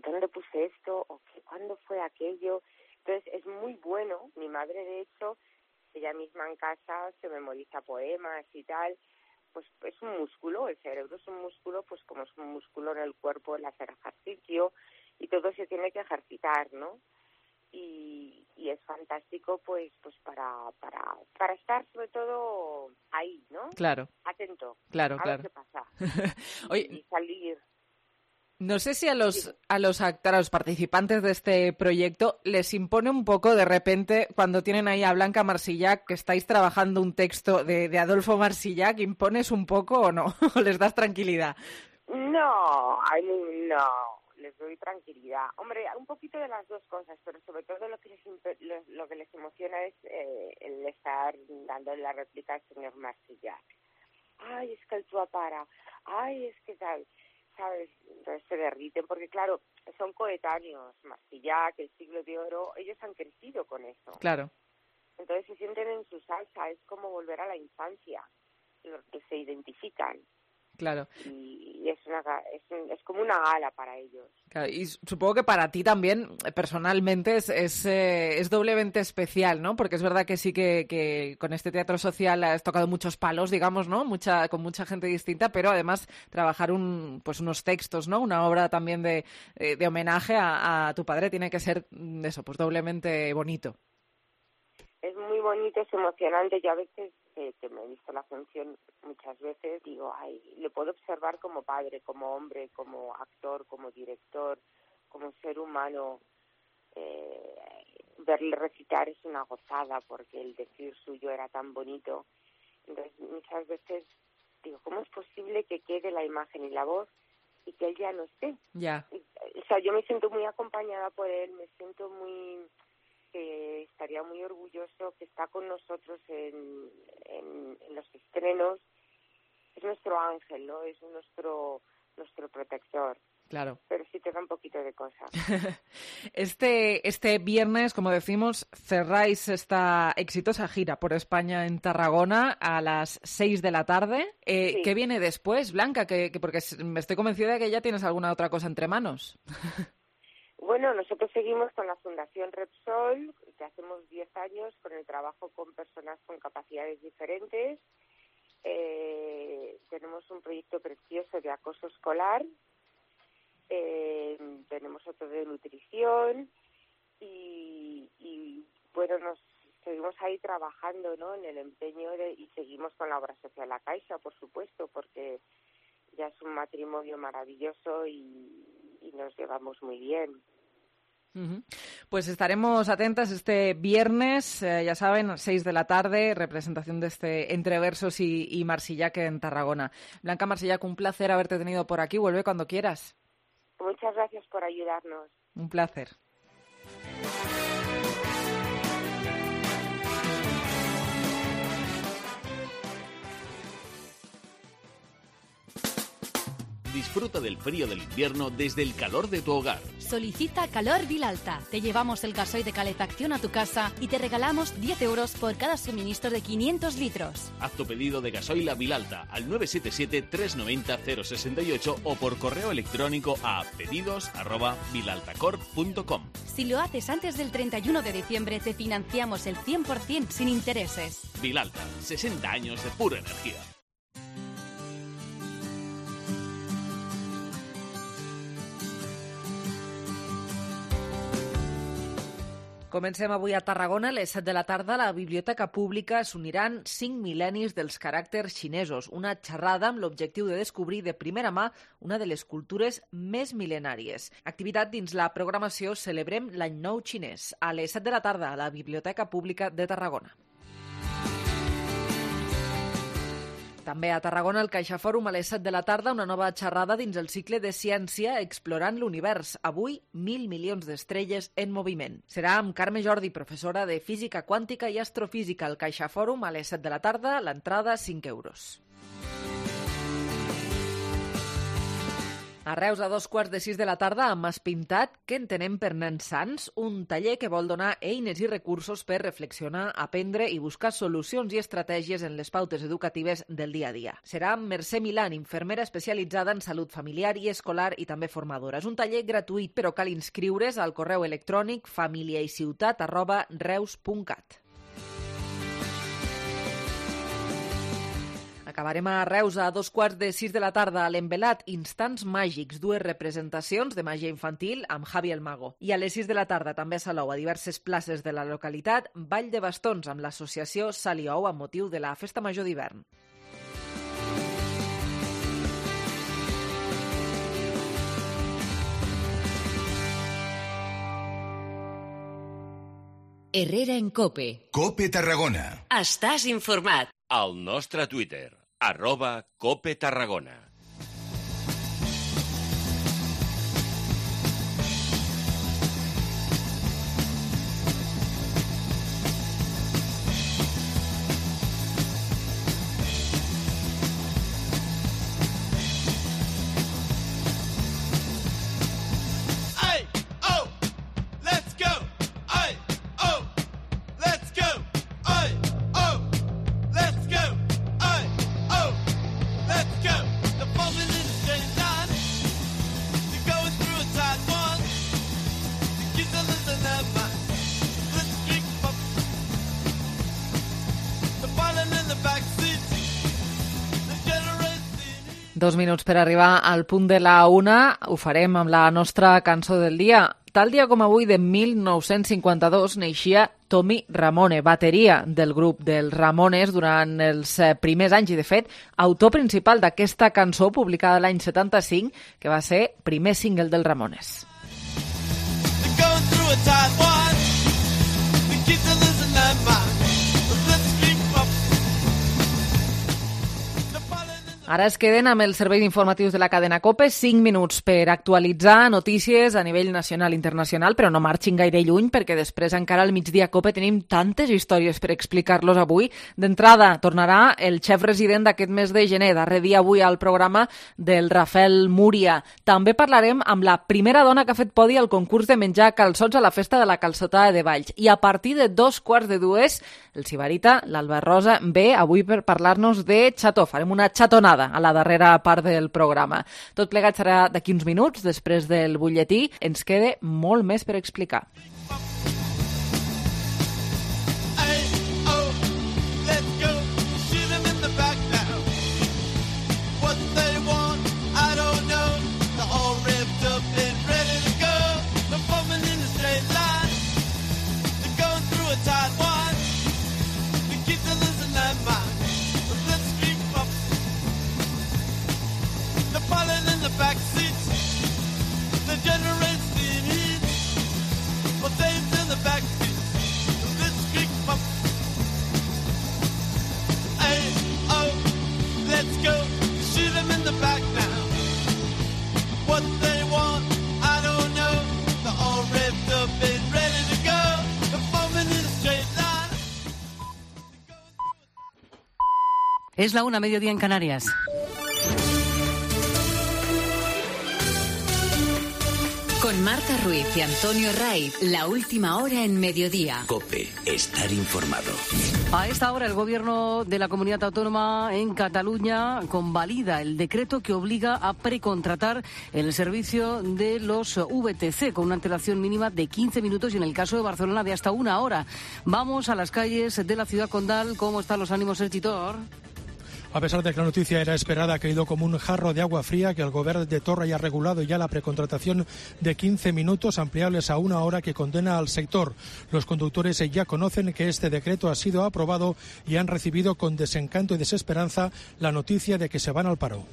¿dónde puse esto? ¿O qué, cuándo fue aquello? Entonces es muy bueno. Mi madre, de hecho, ella misma en casa se memoriza poemas y tal. Pues es un músculo, el cerebro es un músculo, pues como es un músculo en el cuerpo, el hacer ejercicio, y todo se tiene que ejercitar, ¿no? Y, y es fantástico, pues pues para para para estar sobre todo ahí, ¿no? Claro. Atento. Claro, a claro. ver qué pasa. Oye, y salir. No sé si a los a los actores, a los participantes de este proyecto les impone un poco de repente cuando tienen ahí a Blanca Marsillac, que estáis trabajando un texto de, de Adolfo Marsillac, ¿impones un poco o no? ¿O les das tranquilidad? No, ay, no. Les doy tranquilidad. Hombre, un poquito de las dos cosas, pero sobre todo lo que les, lo, lo que les emociona es eh, el estar dando la réplica al señor Marsillac. Ay, es que el tuo para, ay, es que tal, ¿sabes? Entonces se derriten, porque claro, son coetáneos, Marsillac, el Siglo de Oro, ellos han crecido con eso. Claro. Entonces se sienten en su salsa, es como volver a la infancia, los que se identifican. Claro. Y es, una, es, un, es como una gala para ellos. Claro, y supongo que para ti también, personalmente, es, es, eh, es doblemente especial, ¿no? Porque es verdad que sí que, que con este teatro social has tocado muchos palos, digamos, ¿no? Mucha, con mucha gente distinta, pero además trabajar un, pues unos textos, ¿no? Una obra también de, de homenaje a, a tu padre tiene que ser, eso, pues doblemente bonito. Es muy bonito, es emocionante. Yo a veces, eh, que me he visto la función muchas veces, digo, ay, le puedo observar como padre, como hombre, como actor, como director, como ser humano. Eh, verle recitar es una gozada, porque el decir suyo era tan bonito. Entonces, muchas veces digo, ¿cómo es posible que quede la imagen y la voz y que él ya no esté? Ya. O sea, yo me siento muy acompañada por él, me siento muy... que estaría muy orgulloso, que está con nosotros en, en, en los estrenos. Es nuestro ángel, ¿no? Es nuestro nuestro protector. Claro. Pero sí te da un poquito de cosa. Este este viernes, como decimos, cerráis esta exitosa gira por España en Tarragona a las seis de la tarde. Eh, sí. ¿Qué viene después, Blanca? Que, que porque me estoy convencida de que ya tienes alguna otra cosa entre manos. Bueno, nosotros seguimos con la Fundación Repsol, que hacemos diez años con el trabajo con personas con capacidades diferentes. Eh, tenemos un proyecto precioso de acoso escolar, eh, tenemos otro de nutrición y, y bueno, nos seguimos ahí trabajando, ¿no? En el empeño de, y seguimos con la obra social La Caixa, por supuesto, porque ya es un matrimonio maravilloso y, y nos llevamos muy bien. Uh-huh. Pues estaremos atentas este viernes, eh, ya saben, seis de la tarde, representación de este Entre Versos y, y Marsillac en Tarragona. Blanca Marsillac, un placer haberte tenido por aquí. Vuelve cuando quieras. Muchas gracias por ayudarnos. Un placer. disfruta del frío del invierno desde el calor de tu hogar. Solicita Calor Vilalta. Te llevamos el gasoil de calefacción a tu casa y te regalamos diez euros por cada suministro de quinientos litros. Haz tu pedido de gasoil a Vilalta al nueve siete siete, tres nueve cero, cero seis ocho o por correo electrónico a pedidos arroba vilaltacorp punto com. Si lo haces antes del treinta y uno de diciembre, te financiamos el cien por ciento sin intereses. Vilalta, sesenta años de pura energía. Comencem avui a Tarragona. A les set de la tarda a la Biblioteca Pública s'uniran cinc mil·lennis dels caràcters xinesos, una xerrada amb l'objectiu de descobrir de primera mà una de les cultures més mil·lenàries. Activitat dins la programació Celebrem l'Any Nou Xinès, a les set de la tarda a la Biblioteca Pública de Tarragona. També a Tarragona, al CaixaFòrum, a les set de la tarda, una nova xerrada dins el cicle de ciència Explorant l'univers. Avui, mil milions d'estrelles en moviment. Serà amb Carme Jordi, professora de Física Quàntica i Astrofísica al CaixaFòrum, a les set de la tarda, l'entrada cinc euros. A Reus, a dos quarts de sis de la tarda, amb Mas Pintat, què entenem per nens sants? Un taller que vol donar eines i recursos per reflexionar, aprendre i buscar solucions i estratègies en les pautes educatives del dia a dia. Serà amb Mercè Milán, infermera especialitzada en salut familiar i escolar i també formadora. És un taller gratuït, però cal inscriure's al correu electrònic familiaiciutat arroba reus punt cat. Acabarem a Reus a dos quarts de sis de la tarda a l'Envelat, Instants Màgics, dues representacions de màgia infantil amb Javi el Mago. I a les sis de la tarda també a Salou, a diverses places de la localitat, Ball de bastons amb l'associació Saliou amb motiu de la Festa Major d'hivern. Herrera en Cope. Cope Tarragona. Estàs informat. Al nostre Twitter, arroba Cope Tarragona. Dos minuts per arribar al punt de la una. Ho farem amb la nostra cançó del dia. Tal dia com avui, de mil nou-cents cinquanta-dos, neixia Tommy Ramone, bateria del grup dels Ramones durant els primers anys i, de fet, autor principal d'aquesta cançó publicada l'any setanta-cinc, que va ser primer single dels Ramones. Ara es queden amb els serveis informatius de la cadena COPE, cinc minuts per actualitzar notícies a nivell nacional i internacional, però no marxin gaire lluny perquè després encara al migdia COPE tenim tantes històries per explicar-los avui. D'entrada, tornarà el xef resident d'aquest mes de gener, darrer dia avui al programa del Rafael Múria. També parlarem amb la primera dona que ha fet podi al concurs de menjar calçots a la festa de la calçotada de Valls. I a partir de dos quarts de dues, el Sibarita, l'Alba Rosa, ve avui per parlar-nos de xató. Farem una xatonada a la darrera part del programa. Tot plegat serà d'aquí uns minuts, després del butlletí. Ens queda molt més per explicar. Es la una, mediodía en Canarias. Con Marta Ruiz y Antonio Raiz, la última hora en mediodía. COPE, estar informado. A esta hora el gobierno de la comunidad autónoma en Cataluña convalida el decreto que obliga a precontratar el servicio de los V T C con una antelación mínima de quince minutos y en el caso de Barcelona de hasta una hora. Vamos a las calles de la ciudad condal. ¿Cómo están los ánimos, el Titor? A pesar de que la noticia era esperada, ha caído como un jarro de agua fría que el gobierno de Torra ya ha regulado ya la precontratación de quince minutos ampliables a una hora que condena al sector. Los conductores ya conocen que este decreto ha sido aprobado y han recibido con desencanto y desesperanza la noticia de que se van al paro.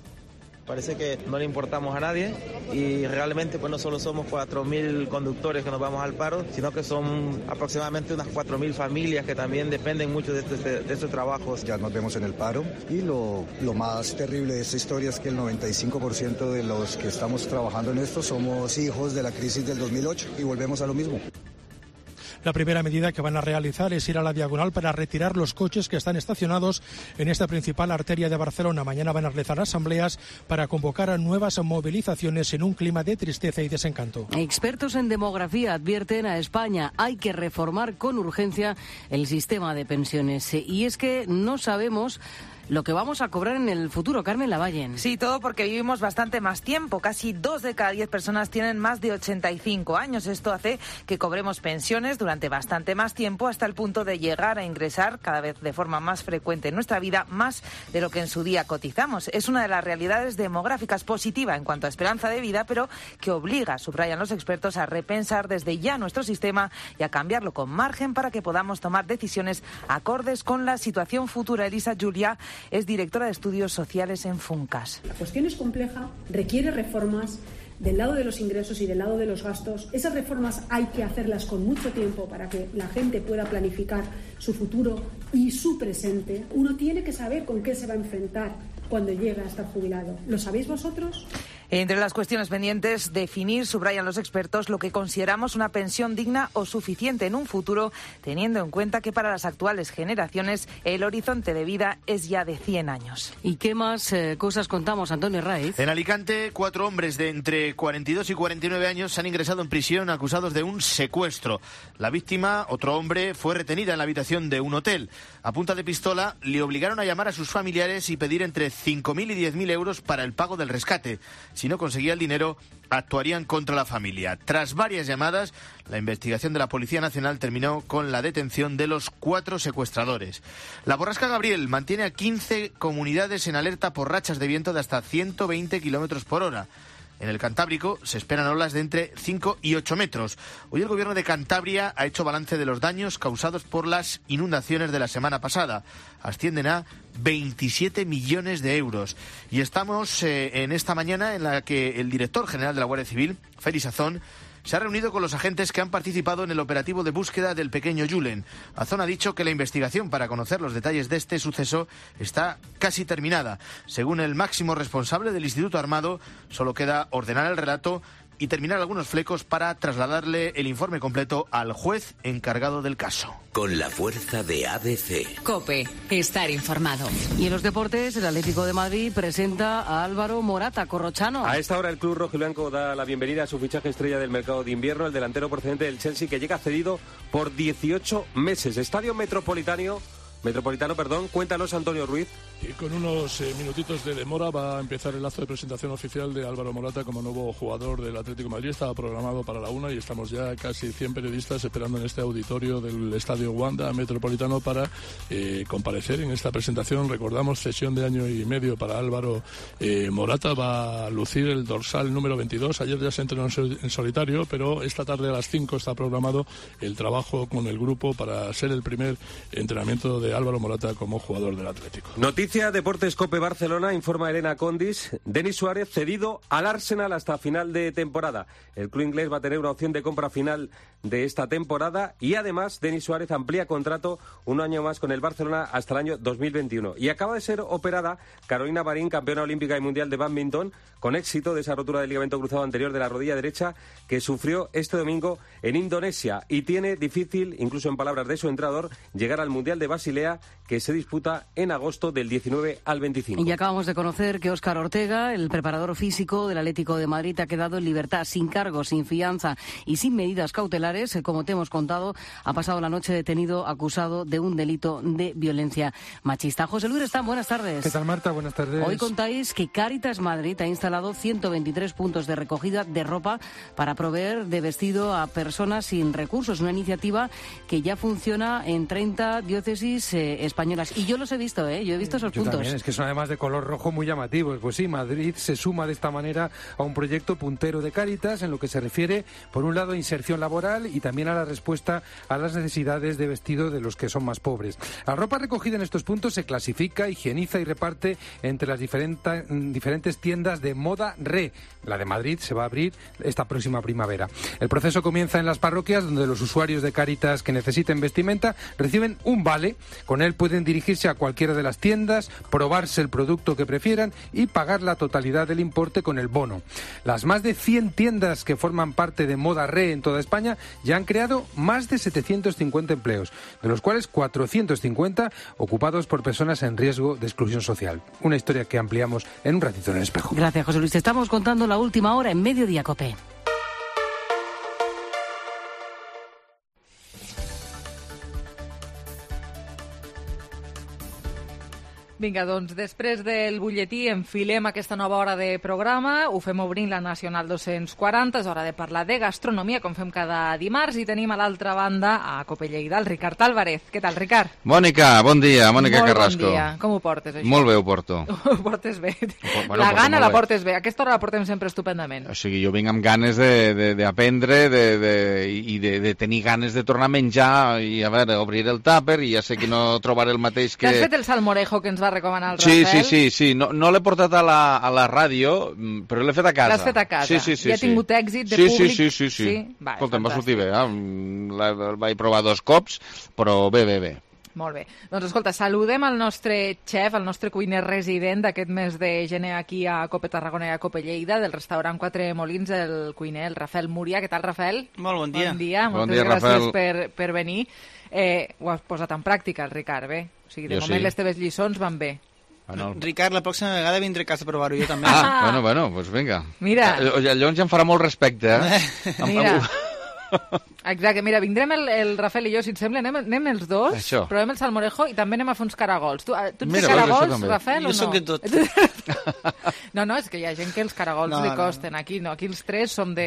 Parece que no le importamos a nadie y realmente pues no solo somos cuatro mil conductores que nos vamos al paro, sino que son aproximadamente unas cuatro mil familias que también dependen mucho de estos de, de este trabajos. Ya nos vemos en el paro y lo, lo más terrible de esta historia es que el noventa y cinco por ciento de los que estamos trabajando en esto somos hijos de la crisis del dos mil ocho y volvemos a lo mismo. La primera medida que van a realizar es ir a la diagonal para retirar los coches que están estacionados en esta principal arteria de Barcelona. Mañana van a realizar asambleas para convocar a nuevas movilizaciones en un clima de tristeza y desencanto. Expertos en demografía advierten a España hay que reformar con urgencia el sistema de pensiones. Y es que no sabemos lo que vamos a cobrar en el futuro. Carmen Lavallen. Sí, todo porque vivimos bastante más tiempo. Casi dos de cada diez personas tienen más de ochenta y cinco años. Esto hace que cobremos pensiones durante bastante más tiempo, hasta el punto de llegar a ingresar cada vez de forma más frecuente en nuestra vida, más de lo que en su día cotizamos. Es una de las realidades demográficas positiva en cuanto a esperanza de vida, pero que obliga, subrayan los expertos, a repensar desde ya nuestro sistema y a cambiarlo con margen para que podamos tomar decisiones acordes con la situación futura. Elisa Julia es directora de Estudios Sociales en Funcas. La cuestión es compleja, requiere reformas del lado de los ingresos y del lado de los gastos. Esas reformas hay que hacerlas con mucho tiempo para que la gente pueda planificar su futuro y su presente. Uno tiene que saber con qué se va a enfrentar cuando llega a estar jubilado. ¿Lo sabéis vosotros? Entre las cuestiones pendientes, definir, subrayan los expertos, lo que consideramos una pensión digna o suficiente en un futuro, teniendo en cuenta que para las actuales generaciones el horizonte de vida es ya de cien años. ¿Y qué más eh, cosas contamos, Antonio Raiz? En Alicante, cuatro hombres de entre cuarenta y dos y cuarenta y nueve años han ingresado en prisión acusados de un secuestro. La víctima, otro hombre, fue retenida en la habitación de un hotel. A punta de pistola le obligaron a llamar a sus familiares y pedir entre cinco mil y diez mil euros para el pago del rescate. Si no conseguía el dinero, actuarían contra la familia. Tras varias llamadas, la investigación de la Policía Nacional terminó con la detención de los cuatro secuestradores. La borrasca Gabriel mantiene a quince comunidades en alerta por rachas de viento de hasta ciento veinte kilómetros por hora. En el Cantábrico se esperan olas de entre cinco y ocho metros. Hoy el gobierno de Cantabria ha hecho balance de los daños causados por las inundaciones de la semana pasada. Ascienden a veintisiete millones de euros. Y estamos eh, en esta mañana en la que el director general de la Guardia Civil, Félix Azón, se ha reunido con los agentes que han participado en el operativo de búsqueda del pequeño Julen. Azón ha dicho que la investigación para conocer los detalles de este suceso está casi terminada. Según el máximo responsable del Instituto Armado, solo queda ordenar el relato y terminar algunos flecos para trasladarle el informe completo al juez encargado del caso. Con la fuerza de A B C. COPE, estar informado. Y en los deportes, el Atlético de Madrid presenta a Álvaro Morata, corrochano. A esta hora el club rojiblanco da la bienvenida a su fichaje estrella del mercado de invierno, el delantero procedente del Chelsea, que llega cedido por dieciocho meses. Estadio Metropolitano, Metropolitano, perdón, cuéntanos, Antonio Ruiz. Y con unos eh, minutitos de demora va a empezar el acto de presentación oficial de Álvaro Morata como nuevo jugador del Atlético de Madrid. Estaba programado para la una y estamos ya casi cien periodistas esperando en este auditorio del Estadio Wanda Metropolitano para eh, comparecer en esta presentación. Recordamos, cesión de año y medio para Álvaro eh, Morata. Va a lucir el dorsal número veintidós. Ayer ya se entrenó en solitario, pero esta tarde a las cinco está programado el trabajo con el grupo para ser el primer entrenamiento de Álvaro Morata como jugador del Atlético. Noticia Deportes COPE Barcelona, informa Elena Condis. Denis Suárez cedido al Arsenal hasta final de temporada. El club inglés va a tener una opción de compra final de esta temporada y además Denis Suárez amplía contrato un año más con el Barcelona hasta el año dos mil veintiuno. Y acaba de ser operada Carolina Marín, campeona olímpica y mundial de bádminton, con éxito de esa rotura del ligamento cruzado anterior de la rodilla derecha que sufrió este domingo en Indonesia y tiene difícil, incluso en palabras de su entrenador, llegar al Mundial de Basilea pelea que se disputa en agosto del diecinueve al veinticinco. Y acabamos de conocer que Óscar Ortega, el preparador físico del Atlético de Madrid, ha quedado en libertad, sin cargos, sin fianza y sin medidas cautelares. Como te hemos contado, ha pasado la noche detenido acusado de un delito de violencia machista. José Luis Restán, buenas tardes. ¿Qué tal, Marta? Buenas tardes. Hoy contáis que Cáritas Madrid ha instalado ciento veintitrés puntos de recogida de ropa para proveer de vestido a personas sin recursos. Una iniciativa que ya funciona en treinta diócesis eh, españolas. Y yo los he visto, ¿eh? Yo he visto esos yo puntos. También, es que son además de color rojo muy llamativos. Pues sí, Madrid se suma de esta manera a un proyecto puntero de Cáritas en lo que se refiere, por un lado, a inserción laboral y también a la respuesta a las necesidades de vestido de los que son más pobres. La ropa recogida en estos puntos se clasifica, higieniza y reparte entre las diferentes, diferentes tiendas de Moda Re. La de Madrid se va a abrir esta próxima primavera. El proceso comienza en las parroquias, donde los usuarios de Cáritas que necesiten vestimenta reciben un vale. Con él pueden dirigirse a cualquiera de las tiendas, probarse el producto que prefieran y pagar la totalidad del importe con el bono. Las más de cien tiendas que forman parte de Moda Re en toda España ya han creado más de setecientos cincuenta empleos, de los cuales cuatrocientos cincuenta ocupados por personas en riesgo de exclusión social. Una historia que ampliamos en un ratito en el espejo. Gracias, José Luis. Te estamos contando la última hora en Mediodía Cope. Vinga, doncs després del butlletí enfilem aquesta nova hora de programa, ho fem obrint la Nacional dos-cents quaranta, és hora de parlar de gastronomia, com fem cada dimarts, i tenim a l'altra banda a Cope Lleida el Ricard Álvarez. Què tal, Ricard? Mònica, bon dia, Mònica Molt Carrasco. bon dia. Com ho portes, això? Molt bé ho porto. Ho portes bé. Bueno, la porto gana molt la bé. portes bé. Aquesta hora la portem sempre estupendament. O sigui, jo vinc amb ganes d'aprendre de, de, de, i de, de tenir ganes de tornar a menjar i, a veure, obrir el tàper i ja sé que no trobaré el mateix que... T'has fet el salmorejo que ens va recomanar el Sí, Rafael? sí, sí, sí. No, no l'he portat a la, a la ràdio, mm, però l'he fet a casa. L'has fet a casa. Sí, sí, sí, I ha sí. tingut èxit de sí, públic? Sí, sí, sí. sí. Sí? Va, Escolta, em va fantàstic. sortir bé. Eh? Mm, La, la vaig provar dos cops, però bé, bé, bé. Molt bé. Doncs escolta, saludem el nostre xef, el nostre cuiner resident d'aquest mes de gener aquí a Cope Tarragona i a Cope Lleida, del restaurant Quatre Molins, el cuiner, el Rafael Múria. Què tal, Rafael? Molt bon dia. Bon dia, Bon moltes dia, gràcies Rafael. per, per venir. Eh, ho has posat en pràctica, el Ricard, bé? O sigui, de Jo moment sí. les teves lliçons van bé. Bueno. Ricard, la pròxima vegada vindré a casa a provar-ho jo també. Ah, bueno, bueno, doncs pues vinga. Mira. Eh, Llavors ja em farà molt respecte, eh? Mira. Exacte, mira, vindrem el, el Rafael i jo, si et sembla, anem, anem els dos, Això. provem el salmorejo i també anem a fer uns caragols. Tu, tu ets Mira, de veus, això caragols, també. Rafael, Jo o no? sóc de tot. No, no, és que hi ha gent que els caragols No, li no. costen. Aquí no, aquí els tres som de...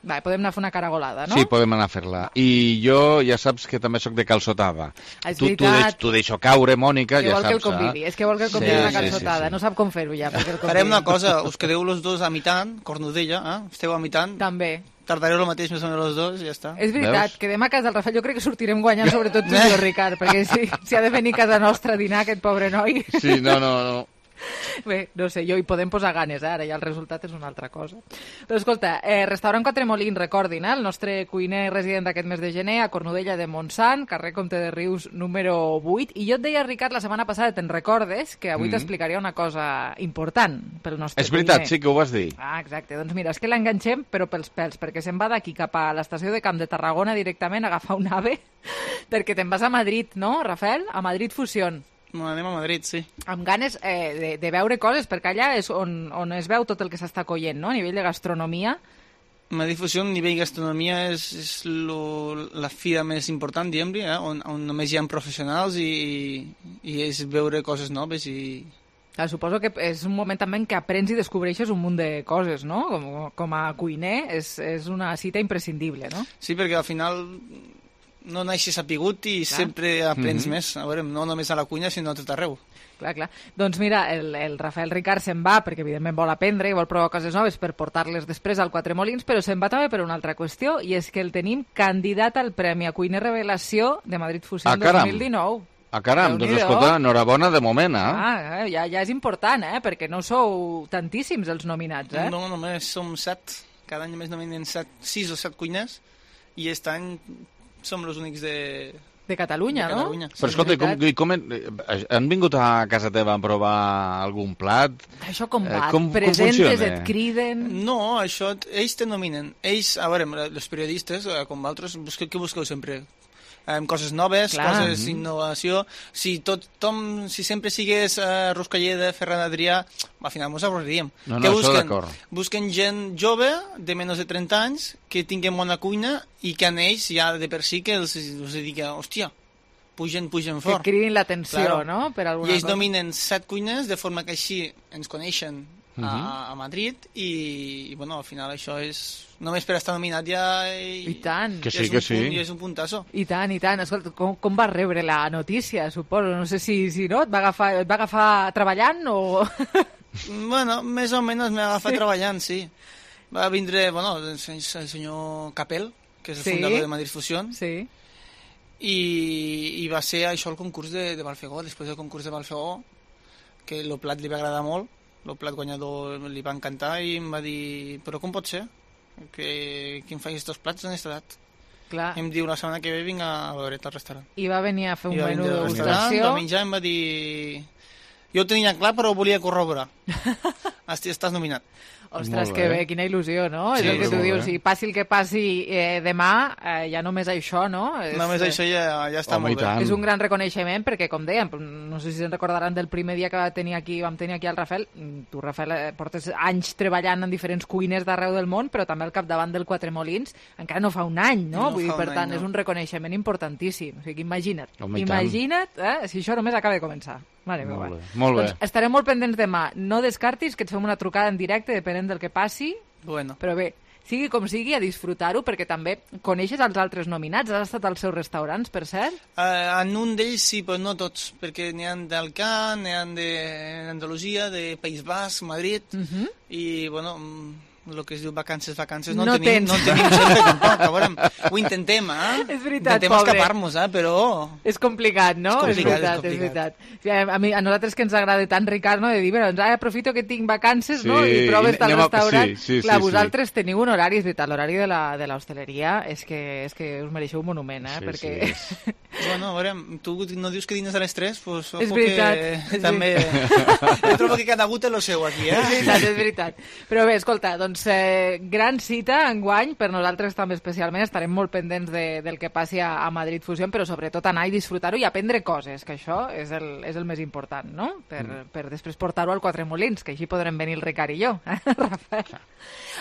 Va, podem anar a fer una caragolada, no? Sí, podem anar a fer-la. I jo ja saps que també sóc de calçotada. Ah, és tu, tu, veritat. deix, tu deixo caure, Mònica, Que ja vol que el saps. convidi, eh? és que vol que el convidi Sí, una sí, sí, calçotada. sí. No sap com fer-ho ja, perquè el convidi. Farem una cosa, us quedeu los dos a mitant, Cornudella, eh? Esteu a mitant. També. Tardareu el mateix més o menys los dos i ja està. És veritat, quedem a casa del Rafael. Jo crec que sortirem guanyant, sobretot tu i jo, Ricard, perquè si, si ha de venir a casa nostra a dinar aquest pobre noi... Sí, no, no, no. Bé, no sé, jo hi podem posar ganes, eh? Ara ja el resultat és una altra cosa. Però escolta, eh, restaurant Quatre Molins, recordin, eh? El nostre cuiner resident d'aquest mes de gener a Cornudella de Montsant, carrer Comte de Rius número vuit. I jo et deia, Ricard, la setmana passada, te'n recordes, que avui Mm. t'explicaria una cosa important pel nostre És veritat, cuiner. sí que ho vas dir. Ah, exacte. Doncs mira, és que l'enganxem, però pels pèls, perquè se'n va d'aquí cap a l'estació de Camp de Tarragona directament a agafar un ave, perquè te'n vas a Madrid, no, Rafael? A Madrid Fusión. Bueno, anem a Madrid, sí. Amb ganes eh, de, de veure coses, perquè allà és on, on es veu tot el que s'està coient, no?, a nivell de gastronomia. Madrid Fusió, a nivell gastronomia, és, és lo, la fira més important, diguem-li, eh? on, on només hi ha professionals i, i és veure coses noves i... Clar, suposo que és un moment també en què aprens i descobreixes un munt de coses, no? Com, com a cuiner és, és una cita imprescindible, no? Sí, perquè al final no naixes sapigut i Clar. sempre aprens Mhm. més, a veure, no només a la cuina, sinó a tot arreu. Clar, clar. Doncs mira, el, el Rafael Ricard se'n va perquè evidentment vol aprendre i vol provar coses noves per portar-les després al Quatre Molins, però se'n va també per una altra qüestió, i és que el tenim candidat al Premi a Cuiner Revelació de Madrid Fusió Ah, caram. dos mil dinou. Ah, caram, doncs Déu-n'hi-do. escolta, enhorabona de moment, eh? Ah, eh, ja, ja és important, eh? Perquè no sou tantíssims els nominats, eh? No, només som set, cada any només nominen set, sis o set cuiners, i aquest any som els únics de... De Catalunya, de no? Catalunya. Però escolta, i com, i com en, han vingut a casa teva a provar algun plat? Això com Eh, va? com- com Presentes, funciona? et criden... No, això, ells te nominen. Ells, a veure, els periodistes, eh, com vosaltres, busqueu, què busqueu sempre? Um, coses noves, Clar. coses Mm-hmm. innovació. Si tothom, si sempre sigués uh, Ruscalleda, Ferran Adrià, al final ens avorriríem. No, no, que això busquen, d'acord. busquen gent jove, de menys de trenta anys, que tinguen bona cuina i que a ells ja de per si que els, els diga, hòstia, pugen, pugen Que fort. cridin l'atenció, Claro. no?, per alguna I ells cosa. dominen set cuines, de forma que així ens coneixen a, Mhm. a Madrid i, i, bueno, al final això és... Només per estar nominat ja... I, I tant. Que ja sí, és que un sí. Punt, ja és un puntasso. I tant, i tant. Escolta, com, com vas rebre la notícia, suposo? No sé si, si no, et va agafar, et va agafar treballant o... Bueno, més o menys m'ha agafat Sí. sí. treballant, sí. Va vindre, bueno, el sen- el senyor Capel, que és el Sí. fundador de Madrid Fusión, sí. i, i va ser això el concurs de, de Balfegó. Després del concurs de Balfegó, que el plat li va agradar molt, el plat guanyador li va encantar i em va dir, però com pot ser que, que em facis estos plats en aquesta edat? Clar. Em diu, la setmana que ve vinc a veure't al restaurant. I va venir a fer un I va menú vindre de al restaurant, degustació. va menjar i em va dir... Jo ho tenia clar, però ho volia corroborar. Esti- Estàs nominat. Ostres, Molt que bé. bé, quina il·lusió, no? Sí, és el que tu molt dius, bé. si passi el que passi eh, demà, eh, ja només això, no? És, Només eh, això ja, ja està Home, i molt bé. tant. És un gran reconeixement perquè, com dèiem, no sé si se'n recordaran del primer dia que va tenir aquí, vam tenir aquí el Rafael. Tu, Rafael, eh, portes anys treballant en diferents cuines d'arreu del món, però també al capdavant del Quatre Molins encara no fa un any, no? No Vull dir, fa per un tant, any, no. és un reconeixement importantíssim. O sigui, imagina't, Home, i tant. imagina't eh, si això només acaba de començar. Mare meva. Molt bé, molt bé. Doncs estarem molt pendents demà. No descartis que et fem una trucada en directe, depenent del que passi, Bueno. però bé, sigui com sigui, a disfrutar-ho, perquè també coneixes els altres nominats, has estat als seus restaurants, per cert? Uh, en un d'ells sí, però no tots, perquè n'hi ha d'Alcán, n'hi ha d'Andalusia, de País Basc, Madrid, Uh -huh. i, bueno, el que es diu vacances, vacances, no, No en tenim, tens. no en tenim sempre tampoc, a veure, ho intentem, eh? És veritat, intentem pobre. escapar-nos, eh? Però... És complicat, no? És complicat, és veritat, és és complicat. veritat. O sigui, a, mi, a nosaltres que ens agrada tant, Ricard, no? De dir, bueno, doncs ara aprofito que tinc vacances, Sí, no? I proves tal anem a- restaurant. sí, sí, Clar, sí, vosaltres sí. teniu un horari, és veritat, l'horari de la de l'hostaleria és que, és que us mereixeu un monument, eh? Sí, perquè... sí. Bueno, a veure, tu no dius que dines a les tres, doncs És veritat, que és també... Jo trobo que cada gut té lo seu aquí, eh? És veritat, és veritat. Però bé, escolta, doncs eh, gran cita enguany, per nosaltres també especialment, estarem molt pendents de, del que passi a, a Madrid Fusion, però sobretot anar i disfrutar-ho i aprendre coses, que això és el, és el més important, no? Per, mm. per després portar-ho al Quatre Molins, que així podrem venir el Ricard i jo, eh, Rafael?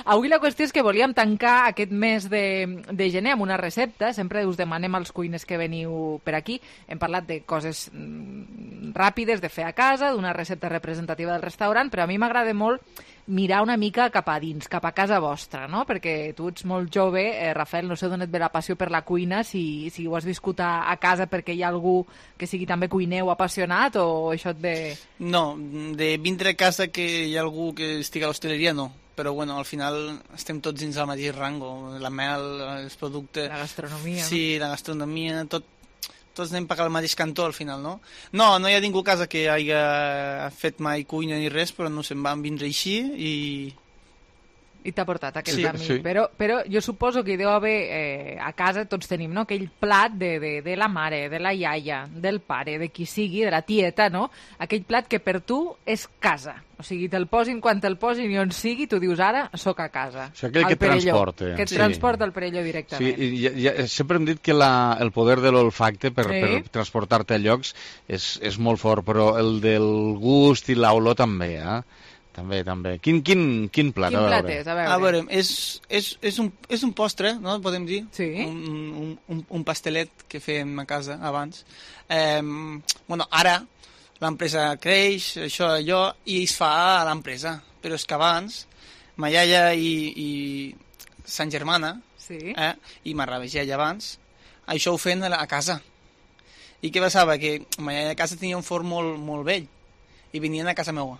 Avui la qüestió és que volíem tancar aquest mes de, de gener amb una recepta. Sempre us demanem als cuiners que veniu per aquí. Hem parlat de coses mm, ràpides de fer a casa, d'una recepta representativa del restaurant, però a mi m'agrada molt mirar una mica cap a dins, cap a casa vostra, no? Perquè tu ets molt jove, eh, Rafael, no sé d'on et ve la passió per la cuina, si, si ho has viscut a, a casa perquè hi ha algú que sigui també cuiner o apassionat, o això et ve... No, de vindre a casa que hi ha algú que estigui a l'hostaleria, no. Però, bueno, al final estem tots dins del mateix rango. La mel, els productes... La gastronomia, Sí, la gastronomia, tot, tots anem per al mateix cantó, al final, no? No, no hi ha ningú a casa que hagi fet mai cuina ni res, però no se'n van vindre així i... I t'ha portat aquest Sí, camí. sí. Però, però jo suposo que hi deu haver, eh, a casa tots tenim, no?, aquell plat de, de, de la mare, de la iaia, del pare, de qui sigui, de la tieta, no? Aquell plat que per tu és casa. O sigui, te'l posin quan te'l posin i on sigui, tu dius ara, sóc a casa. O sigui, aquell Al que et Perelló. transporta. Que et Sí. transporta al Perelló Sí, directament. i, i, i, sempre hem dit que la, el poder de l'olfacte per, Sí. per transportar-te a llocs és, és molt fort, però el del gust i l'olor també, eh? També, també. Quin, quin, quin plat? Quin a plat veure. és? A veure. A veure, és, és, és, un, és un postre, no?, podem dir. Sí. Un, un, un, un pastelet que fèiem a casa abans. Eh, bueno, ara l'empresa creix, això, allò, i es fa a l'empresa. Però és que abans, ma iaia i, i sa germana, sí. eh, i ma iaia abans, això ho feien a, la- a casa. I què passava? Que ma iaia a casa tenia un forn molt, molt vell, i venien a casa meua.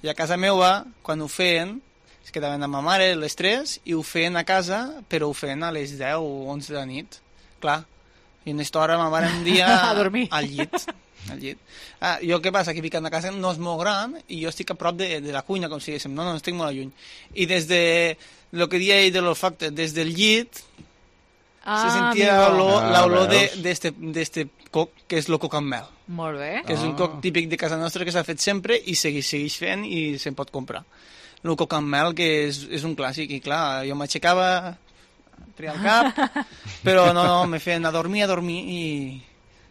I a casa meva, quan ho feien, es quedaven amb ma mare les tres i ho feien a casa, però ho feien a les deu o onze de la nit. Clar, i en aquesta hora ma mare un dia A dormir. al llit. Al llit. Ah, jo què passa? Que visc a casa no és molt gran i jo estic a prop de, de la cuina, com si diguéssim. No, no, estic molt lluny. I des de, el que deia ell de l'olfacte, des del llit Ah, se sentia amigo. l'olor Ah, l'olor de- veus? d'este d'este coc, que és el coc amb mel. Molt bé. Que és un coc típic de casa nostra que s'ha fet sempre i segueix, segueix fent i se'n pot comprar. El coc amb mel, que és, és un clàssic, i clar, jo m'aixecava treia el cap, però no, no, me feien a dormir, a dormir i,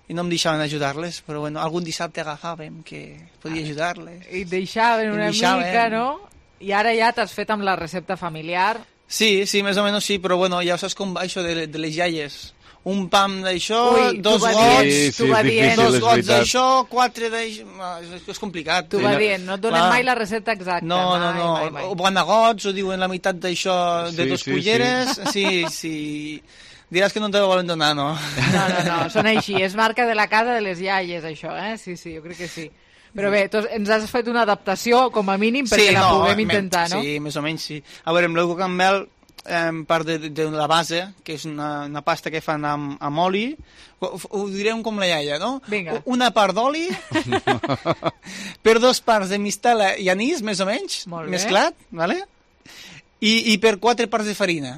i no em deixaven ajudar-les, però bueno, algun dissabte agafàvem que podia ajudar-les. I et deixaven una deixaven. mica, no? I ara ja t'has fet amb la recepta familiar. Sí, sí, més o menys sí, però bueno, ja saps com va això de, de les iaies. Un pam d'això, Ui, dos tu va gots, dient, tu va dient. dos gots d'això, quatre d'això... És, és complicat. Tu va dient, no et donen mai la recepta exacta. No, no, no. Mai, mai. O van a gots, o diuen la meitat d'això de Sí, dos sí, culleres. Sí, sí. Diràs que no te volen donar, no? No, no, no, són així. És marca de la casa de les iaies, això, eh? Sí, sí, jo crec que sí. Però bé, tu ens has fet una adaptació, com a mínim, perquè sí, la no, puguem intentar, no? Sí, més o menys, sí. A veure, amb l'euco campbell, eh, part de, de la base, que és una, una pasta que fan amb, amb oli, ho, ho direm com la iaia, no? Vinga. Una part d'oli, per dos parts de mistela i anís, més o menys, Molt bé. mesclat, vale? I, i per quatre parts de farina,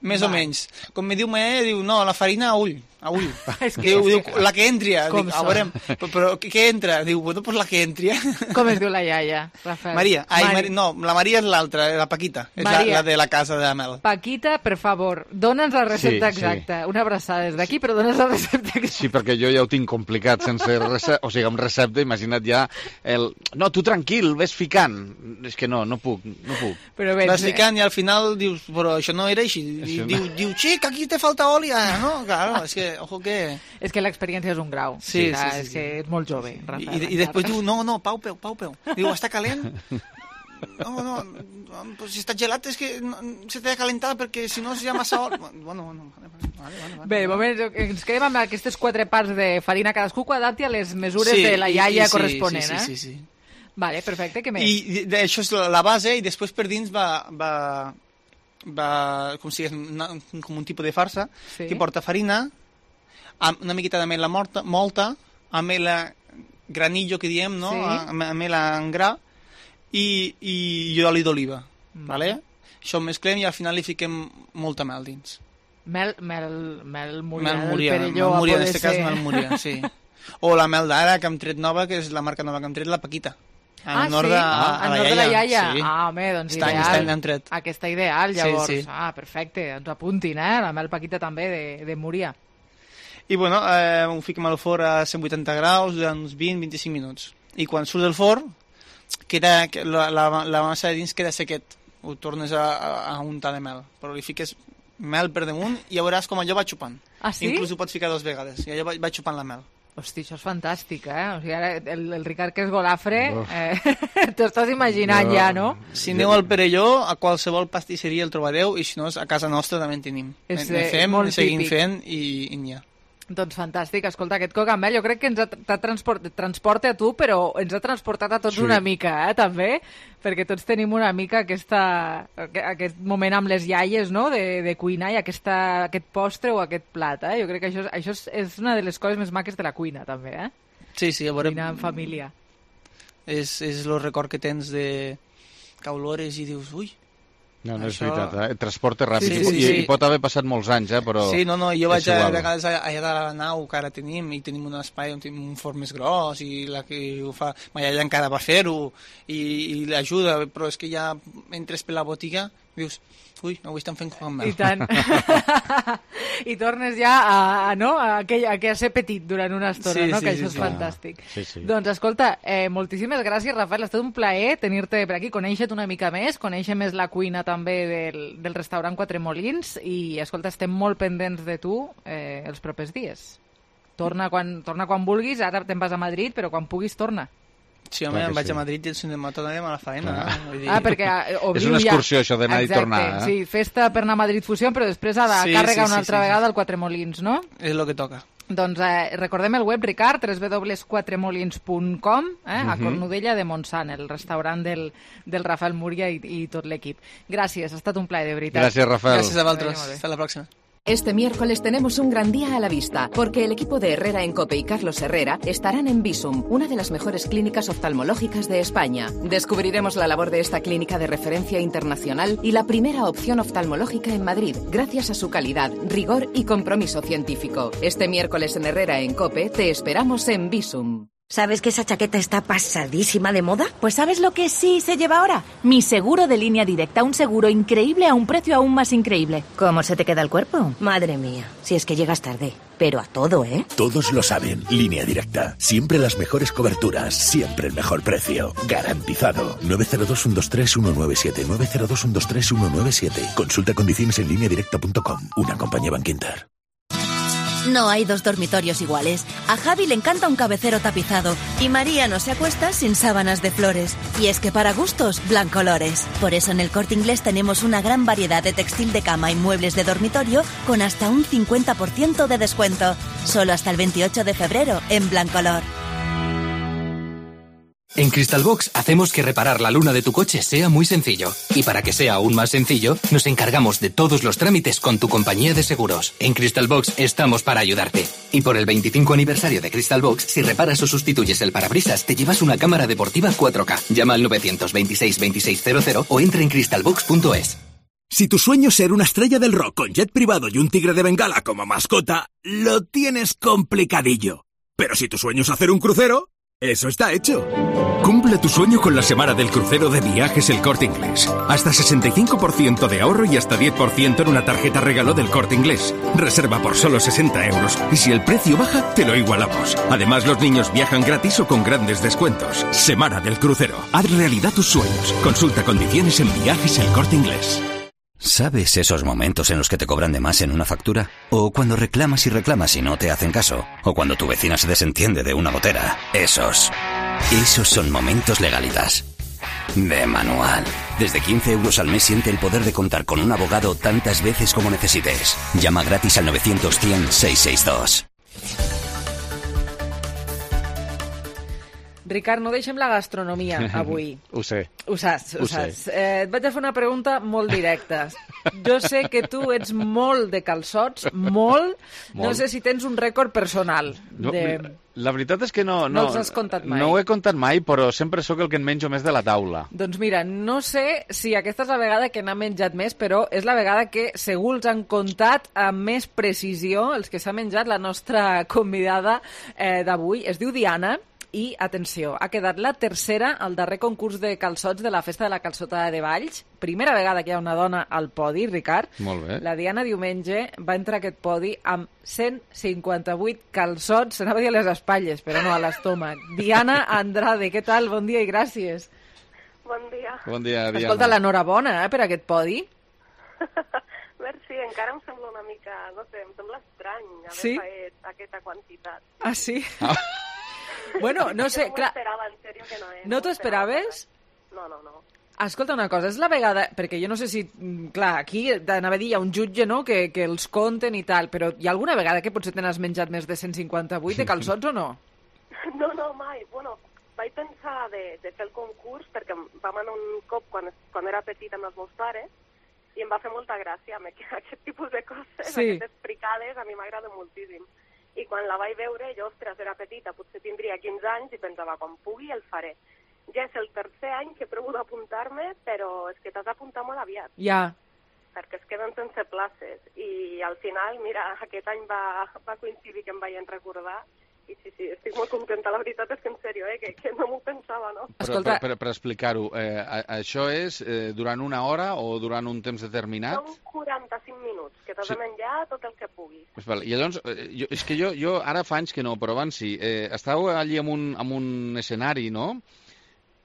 més Va. o menys. Com me diu ma iaia, diu, no, la farina a ull, a ull. És que- diu, és diu, que- la que entri, Com dic, a són? veure, però, però què entra? Diu, bueno, pues la que entri. Com es diu la iaia, Rafael? Maria, ai, Mari- Mari... no, la Maria és l'altra, la Paquita, és la, Maria. la de la casa de la Mel. Paquita, per favor, dona'ns la recepta Sí, sí. exacta. Una abraçada des d'aquí, però dona'ns la recepta exacta. Sí, perquè jo ja ho tinc complicat sense recepta, o sigui, amb recepta, imagina't ja el... No, tu tranquil, ves ficant. És que no, no puc, no puc. Però bé, Vas ficant i al final dius, però això no era així. Això no. Diu, diu, xic, aquí te falta oli. Ah, no, claro, és que, ojo que... És que l'experiència és un grau. Sí, O sigui, sí, sí, És sí. que ets molt jove, I, Rafael. i, i després diu, no, no, pau, peu, pau, peu. Diu, està calent? No, no, pues si està gelat és que no, se t'ha de calentar perquè si no ja massa oli. Bueno, bueno, vale, vale, vale, vale. Bé, de moment ens quedem amb aquestes quatre parts de farina, cadascú que adapti a les mesures Sí, de la i- iaia i sí, corresponent, sí, eh? sí, sí, sí. Vale, perfecte, què més? I de- això és la- la base i després per dins va, va, va com si és una, com un tipus de farsa Sí. que porta farina, amb una miqueta d'amela morta, molta, amela granillo que diem, no? Sí. Am- Amela en gra i, i oli d'oliva, vale? Això ho mesclem i al final li fiquem molta mel dins. Mel, mel, mel Múria, Mel del Múria, Perelló, mel a Múria, en poder aquest cas ser. mel Múria, sí. O la mel d'ara que hem tret nova, que és la marca nova que hem tret, la Paquita. En Ah, honor sí? de, a, Ah, a en la honor de la iaia. iaia. Sí. Ah, home, doncs Està, ideal. està n'hem tret. Aquesta ideal, Sí, llavors. sí. Ah, perfecte, ens apuntin, eh? La mel Paquita també, de, de Múria. I bueno, eh, ho fiquem al forn a cent vuitanta graus durant uns vint a vint-i-cinc minuts. I quan surt del forn, queda, que la, la, la massa de dins queda sequet. Ho tornes a, a, a untar de mel. Però li fiques mel per damunt i ja veuràs com allò va xupant. Ah, sí? Inclús ho pots ficar dues vegades. I allò va, va xupant la mel. Hosti, això és fantàstic, eh? O sigui, ara el, el Ricard, que és golafre, eh, t'ho estàs imaginant No. ja, no? Si aneu al Perelló, a qualsevol pastisseria el trobareu, i si no, a casa nostra també en tenim. És, Ne eh, fem, molt ne seguim típic. fent i, i n'hi ha. Doncs fantàstic. Escolta, aquest cogambel jo crec que ens ha, t'ha transport, transporta a tu, però ens ha transportat a tots Sí. una mica, eh, també, perquè tots tenim una mica aquesta, aquest moment amb les iaies, no?, de, de cuinar i aquesta, aquest postre o aquest plat, eh? Jo crec que això, és- això és, és una de les coses més maques de la cuina, també, eh? Sí, sí, a veure... Cuinar en família. És, és el record que tens de que olores i dius, ui... No, no és Això- veritat, eh? El transport és ràpid. Sí, sí, I, sí. I pot haver passat molts anys, eh? Però Sí, no, no, jo és vaig a, a igual. vegades allà, allà de la nau que ara tenim i tenim un espai on tenim un forn més gros i la que ho fa, ma iaia encara va fer-ho i, i l'ajuda, però és que ja entres per la botiga dius, ui, avui estan fent cogambel. I tant. I tornes ja a, a, no? a, aquell, a, que a ser petit durant una estona, Sí, no? sí, que sí, això és sí. fantàstic. Sí, sí. Doncs escolta, eh, moltíssimes gràcies, Rafael. Ha estat un plaer tenir-te per aquí, conèixer-te una mica més, conèixer més la cuina també del, del restaurant Quatre Molins i, escolta, estem molt pendents de tu eh, els propers dies. Torna quan, torna quan vulguis, ara te'n vas a Madrid, però quan puguis torna. Sí, home, Clar que em vaig sí. a Madrid i el cinema tornarem a la faena. Clar. Eh? Vull dir... Ah, perquè eh, obriu És una ja... excursió, això d'anar i Exacte, tornar, eh? Sí, festa per anar a Madrid Fusió, però després ha de Sí, càrrega sí, una sí, altra sí, vegada sí. al Quatre Molins, no? És el que toca. Doncs eh, recordem el web, Ricard, w w w punt quatre molins punt com, eh, a Mhm. Cornudella de Montsant, el restaurant del, del Rafael Múria i, i tot l'equip. Gràcies, ha estat un plaer, de veritat. Gràcies, Rafael. Gràcies a vosaltres. Molt bé. Hasta la pròxima. Este miércoles tenemos un gran día a la vista, porque el equipo de Herrera en Cope y Carlos Herrera estarán en Visum, una de las mejores clínicas oftalmológicas de España. Descubriremos la labor de esta clínica de referencia internacional y la primera opción oftalmológica en Madrid, gracias a su calidad, rigor y compromiso científico. Este miércoles en Herrera en Cope te esperamos en Visum. ¿Sabes que esa chaqueta está pasadísima de moda? Pues ¿sabes lo que sí se lleva ahora? Mi seguro de Línea Directa, un seguro increíble a un precio aún más increíble. ¿Cómo se te queda el cuerpo? Madre mía, si es que llegas tarde. Pero a todo, ¿eh? Todos lo saben. Línea Directa. Siempre las mejores coberturas. Siempre el mejor precio. Garantizado. nueve cero dos, uno dos tres, uno nueve siete. nueve cero dos, uno dos tres, uno nueve siete. Consulta condiciones en línea directa punto com. Una compañía Bankinter. No hay dos dormitorios iguales. A Javi le encanta un cabecero tapizado y María no se acuesta sin sábanas de flores. Y es que para gustos, Blancolores. Por eso en el Corte Inglés tenemos una gran variedad de textil de cama y muebles de dormitorio con hasta un cincuenta por ciento de descuento. Solo hasta el veintiocho de febrero en Blancolor. En Crystalbox hacemos que reparar la luna de tu coche sea muy sencillo. Y para que sea aún más sencillo, nos encargamos de todos los trámites con tu compañía de seguros. En Crystalbox estamos para ayudarte. Y por el veinticinco aniversario de Crystalbox, si reparas o sustituyes el parabrisas, te llevas una cámara deportiva cuatro K. Llama al novecientos veintiséis veintiséis cero cero o entra en crystalbox punto es. Si tu sueño es ser una estrella del rock con jet privado y un tigre de Bengala como mascota, lo tienes complicadillo. Pero si tu sueño es hacer un crucero, eso está hecho. Cumple tu sueño con la semana del crucero de Viajes El Corte Inglés. Hasta sesenta y cinco por ciento de ahorro y hasta diez por ciento en una tarjeta regalo del Corte Inglés. Reserva por solo sesenta euros y si el precio baja, te lo igualamos. Además, los niños viajan gratis o con grandes descuentos. Semana del crucero. Haz realidad tus sueños. Consulta condiciones en Viajes El Corte Inglés. ¿Sabes esos momentos en los que te cobran de más en una factura? ¿O cuando reclamas y reclamas y no te hacen caso? ¿O cuando tu vecina se desentiende de una gotera? Esos. Esos son momentos Legalitas. De manual. Desde quince euros al mes siente el poder de contar con un abogado tantas veces como necesites. Llama gratis al novecientos cien seiscientos sesenta y dos. Ricard, no deixem la gastronomia avui. Ho sé. Ho saps, ho, Ho saps. Eh, et vaig a fer una pregunta molt directa. Jo sé que tu ets molt de calçots, molt. molt. No sé si tens un rècord personal. No, de... La veritat és que no... No, no els has comptat mai. No ho he comptat mai, però sempre sóc el que en menjo més de la taula. Doncs mira, no sé si aquesta és la vegada que n'ha menjat més, però és la vegada que segur els han comptat amb més precisió els que s'ha menjat la nostra convidada eh, d'avui. Es diu Diana. I, atenció, ha quedat la tercera al darrer concurs de calçots de la Festa de la Calçotada de Valls. Primera vegada que hi ha una dona al podi, Ricard. Molt bé. La Diana diumenge va entrar a aquest podi amb cent cinquanta-vuit calçots, s'anava a dir a les espatlles, però no, a l'estómac. Diana Andrade, què tal? Bon dia i gràcies. Bon dia. Bon dia, Diana. Escolta, l'enhorabona eh, per aquest podi. Merci, encara em sembla una mica, no sé, em sembla estrany haver sí? fet aquesta quantitat. Ah, sí? Ah. Bueno, no sé, no clar... Esperava, en serio que no, eh? No t'ho esperaves? No, no, no. Escolta una cosa, és la vegada... Perquè jo no sé si... Clar, aquí anava a dir, hi ha un jutge, no?, que, que els compten i tal, però hi ha alguna vegada que potser te n'has menjat més de cent cinquanta-vuit de calçots o no? No, no, mai. Bueno, vaig pensar de, de fer el concurs perquè vam anar un cop quan, quan era petit amb els meus pares i em va fer molta gràcia aquest tipus de coses, sí. Aquestes fricades, a mi m'agrada moltíssim. I quan la vaig veure, jo, ostres, era petita, potser tindria quinze anys, i pensava, quan pugui el faré. Ja és el tercer any que provo d'apuntar-me, però és que t'has d'apuntar molt aviat. Ja. Perquè es queden sense places. I al final, mira, aquest any va, va coincidir que em vaig recordar. I sí, sí, estic molt contenta. La veritat és que, en sèrio, eh, que, que no m'ho pensava, no? Però, Escolta... Per, per, per explicar-ho, eh, això és eh, durant una hora o durant un temps determinat? Són quaranta-cinc minuts, que t'has sí. de menjar tot el que puguis. Pues val. I llavors, eh, jo, és que jo, jo ara fa anys que no, però abans sí. Eh, estàveu allí amb un, amb un escenari, no?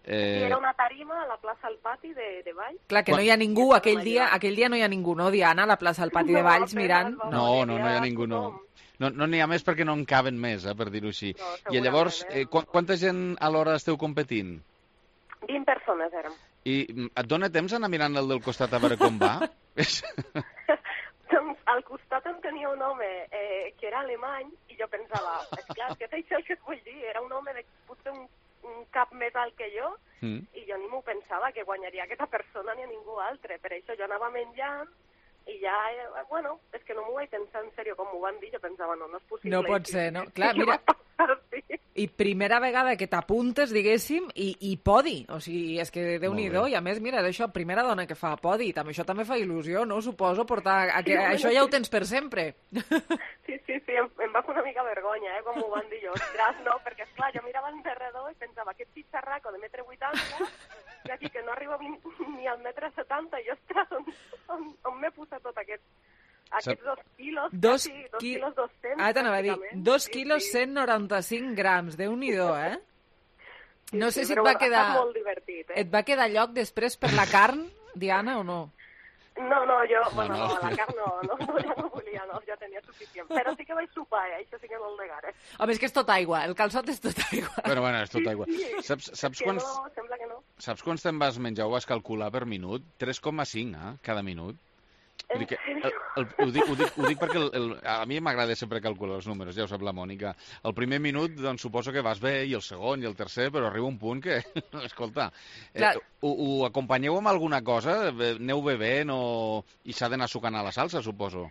Eh... Sí, era una tarima a la plaça al pati de, de Valls. Clar, que Quan... no hi ha ningú, aquell dia, aquell dia no hi ha ningú, no, Diana, a la plaça al pati no, de Valls mirant? No, no, no hi ha ningú, no. No n'hi no ha més perquè no en caben més, eh, per dir-ho així. No, I llavors, eh, qu quanta gent alhora esteu competint? vint persones érem. I et dona temps anar mirant el del costat a veure com va? Doncs al costat en tenia un home eh, que era alemany i jo pensava, esclar, que és això el que et vull dir, era un home de potser un, un cap més alt que jo mm. i jo ni m'ho pensava que guanyaria aquesta persona ni a ningú altre. Per això jo anava menjant i ja, eh, bueno, és que no m'ho vaig pensar en sèrio com m'ho van dir, jo pensava, no, no és possible. No pot ser, no? Clar, mira, I primera vegada que t'apuntes, diguéssim, i, i podi. O sigui, és que Déu-n'hi-do. I a més, mira, això, primera dona que fa podi. També, això també fa il·lusió, no? Suposo, portar... A que, això ja ho tens per sempre. Sí, sí, sí, em, em va fer una mica vergonya, eh, com ho van dir jo. Ostres, no, perquè, esclar, jo mirava enderredor i pensava, aquest xitxarraco de metre vuitanta, i aquí que no arriba ni al metre setanta, i ostres, on, on, on m'he posat tot aquest... Aquests dos quilos, dos, quasi, dos qui... quilos dos-cents. Ah, t'anava a dir, dos sí, quilos sí. cent noranta-cinc grams, Déu-n'hi-do, eh? Sí, no sé sí, si et va quedar... molt divertit, eh? Et va quedar lloc després per la carn, Diana, o no? No, no, jo, No, bueno, no. no, la carn no, no, no, ja no volia, no, ja tenia suficient. Però sí que vaig sopar, eh? Això sí que molt negar, eh? Home, és que és tot aigua, el calçot és tot aigua. Bueno, bueno, és tot aigua. Sí, sí. Saps, saps Que quants... no, sembla que no. Saps quants te'n vas menjar o vas calcular per minut? tres coma cinc, eh? Cada minut. Vull dir que el, el, ho, dic, ho, dic, ho dic perquè el, el, a mi m'agrada sempre calcular els números, ja ho sap la Mònica. El primer minut, doncs, suposo que vas bé, i el segon, i el tercer, però arriba un punt que, escolta, eh, ho, ho acompanyeu amb alguna cosa? Aneu bevent o... i s'ha d'anar sucant a la salsa, suposo?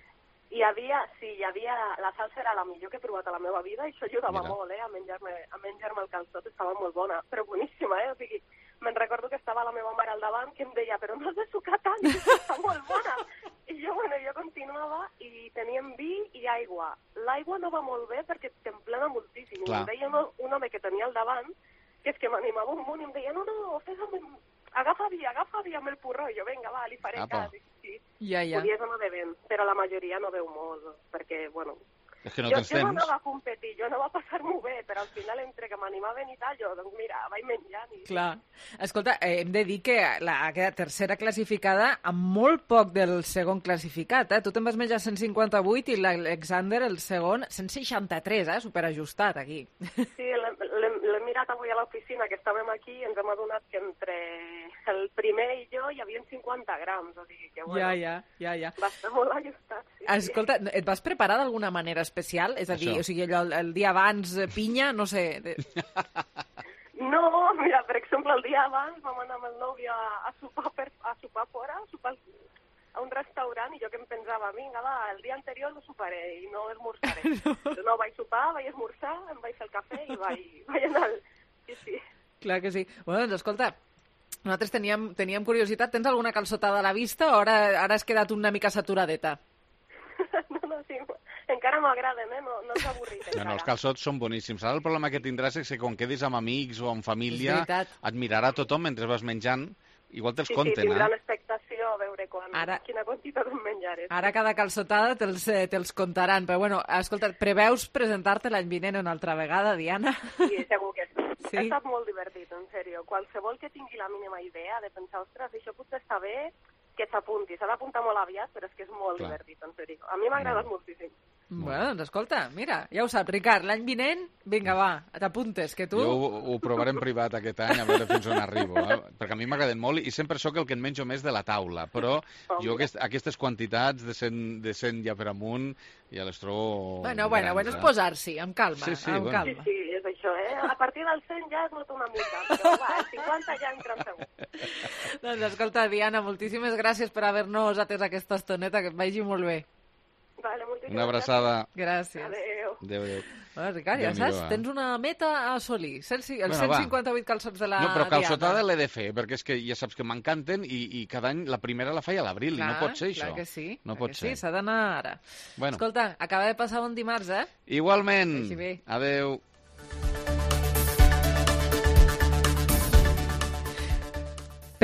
Hi havia, sí, hi havia... La salsa era la millor que he provat a la meva vida i això ajudava Mira. molt, eh, a menjar-me a menjar-me el calçot. Estava molt bona, però boníssima, eh? O sigui, me'n recordo que estava la meva mare al davant que em deia, però no has de sucar tant, està molt bona. I jo, bueno, jo continuava i teníem vi i aigua. L'aigua no va molt bé perquè t'emplena moltíssim. Clar. I em deia un, un home que tenia al davant, que és que m'animava un munt i em deia, no, no, fes-me... Agafa vi, agafa vi amb el porró. I jo, vinga, va, li faré Apa. cas. Sí. Ja, ja. Podies anar bevent, però la majoria no veu molt, perquè, bueno... És que no jo, tens jo no temps. anava a competir, jo no va passar-m'ho bé, però al final, entre que m'animaven i tal, jo, doncs mira, vaig menjant. I... Clar. Escolta, eh, hem de dir que la, la tercera classificada amb molt poc del segon classificat, eh? Tu te'n vas menjar cent cinquanta-vuit i l'Alexander, el segon, cent seixanta-tres, eh? Superajustat, aquí. Sí, l'he mirat avui a l'oficina, que estàvem aquí, i ens hem adonat que entre el primer i jo hi havia cinquanta grams, o sigui que, bueno, Ja, ja, ja, ja. va estar molt ajustat. Sí, Escolta, et vas preparar d'alguna manera especial? És a dir, Això. o sigui, allò, el, el dia abans, eh, pinya, no sé... De... No, mira, per exemple, el dia abans vam anar amb el nòvio a, a sopar per, a sopar fora, a sopar a un restaurant, i jo que em pensava, vinga, va, el dia anterior no soparé i no esmorzaré. No, no vaig sopar, vaig esmorzar, em vaig fer el cafè i vaig, vaig anar al... Sí, sí. Clar que sí. Bueno, doncs escolta, nosaltres teníem, teníem curiositat. Tens alguna calçotada a la vista o ara, ara has quedat una mica saturadeta? No, no, sí, encara m'agraden, eh? No, no s'ha avorrit No, no, els calçots són boníssims. Ara el problema que tindràs és que quan quedis amb amics o amb família, És veritat. et mirarà tothom mentre vas menjant. Igual te'ls Sí, sí, compten, tindran eh? expectació a veure quan, Ara- quina quantitat em menjaré. Ara cada calçotada te'ls eh, te contaran. Però bueno, escolta, preveus presentar-te l'any vinent una altra vegada, Diana? Sí, segur que sí. Sí? Ha estat molt divertit, en sèrio. Qualsevol que tingui la mínima idea de pensar, ostres, això potser està bé, que s'apunti. S'ha d'apuntar molt aviat, però és que és molt Clar. divertit, en sèrio. A mi m'ha agradat moltíssim. Bueno, doncs escolta, mira, ja ho saps, Ricard, l'any vinent, vinga, va, t'apuntes, que tu... Jo ho, ho provaré en privat aquest any, a veure fins on arribo, eh? Perquè a mi m'agraden molt i sempre sóc el que en menjo més de la taula, però jo aquest, aquestes quantitats de cent, de cent ja per amunt ja les trobo... Bueno, bueno, grans, bueno, és eh? posar-s'hi, amb calma, Sí, sí, amb bueno. calma. Sí, és això, eh? A partir del cent ja es nota una mica, però va, el cinquanta ja entra en segur. Doncs escolta, Diana, moltíssimes gràcies per haver-nos atès aquesta estoneta, que et vagi molt bé. Vale, moltíssimes Una abraçada. Gràcies. Adéu. Adéu, adéu. Bueno, Ricard, ja Déu-n'hi-do, saps, eh? tens una meta a assolir. Els Bueno, cent va. cinquanta-vuit calçots de la No, però calçotada Diana. l'he de fer, perquè és que ja saps que m'encanten i, i cada any la primera la feia a l'abril, i no Clar, pot ser clar això. que sí, no clar pot que ser. sí, s'ha d'anar ara. Bueno. Escolta, acaba de passar un dimarts, eh? Igualment. Vagi bé. Adéu.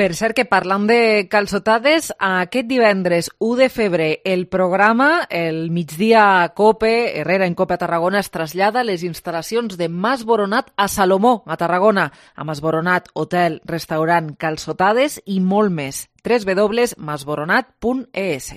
Per cert que parlant de calçotades, aquest divendres u de febrer el programa, el migdia Cope, Herrera en Cope a Tarragona, es trasllada a les instal·lacions de Mas Boronat a Salomó, a Tarragona. A Mas Boronat, hotel, restaurant, calçotades i molt més. w w w punt masboronat punt e s.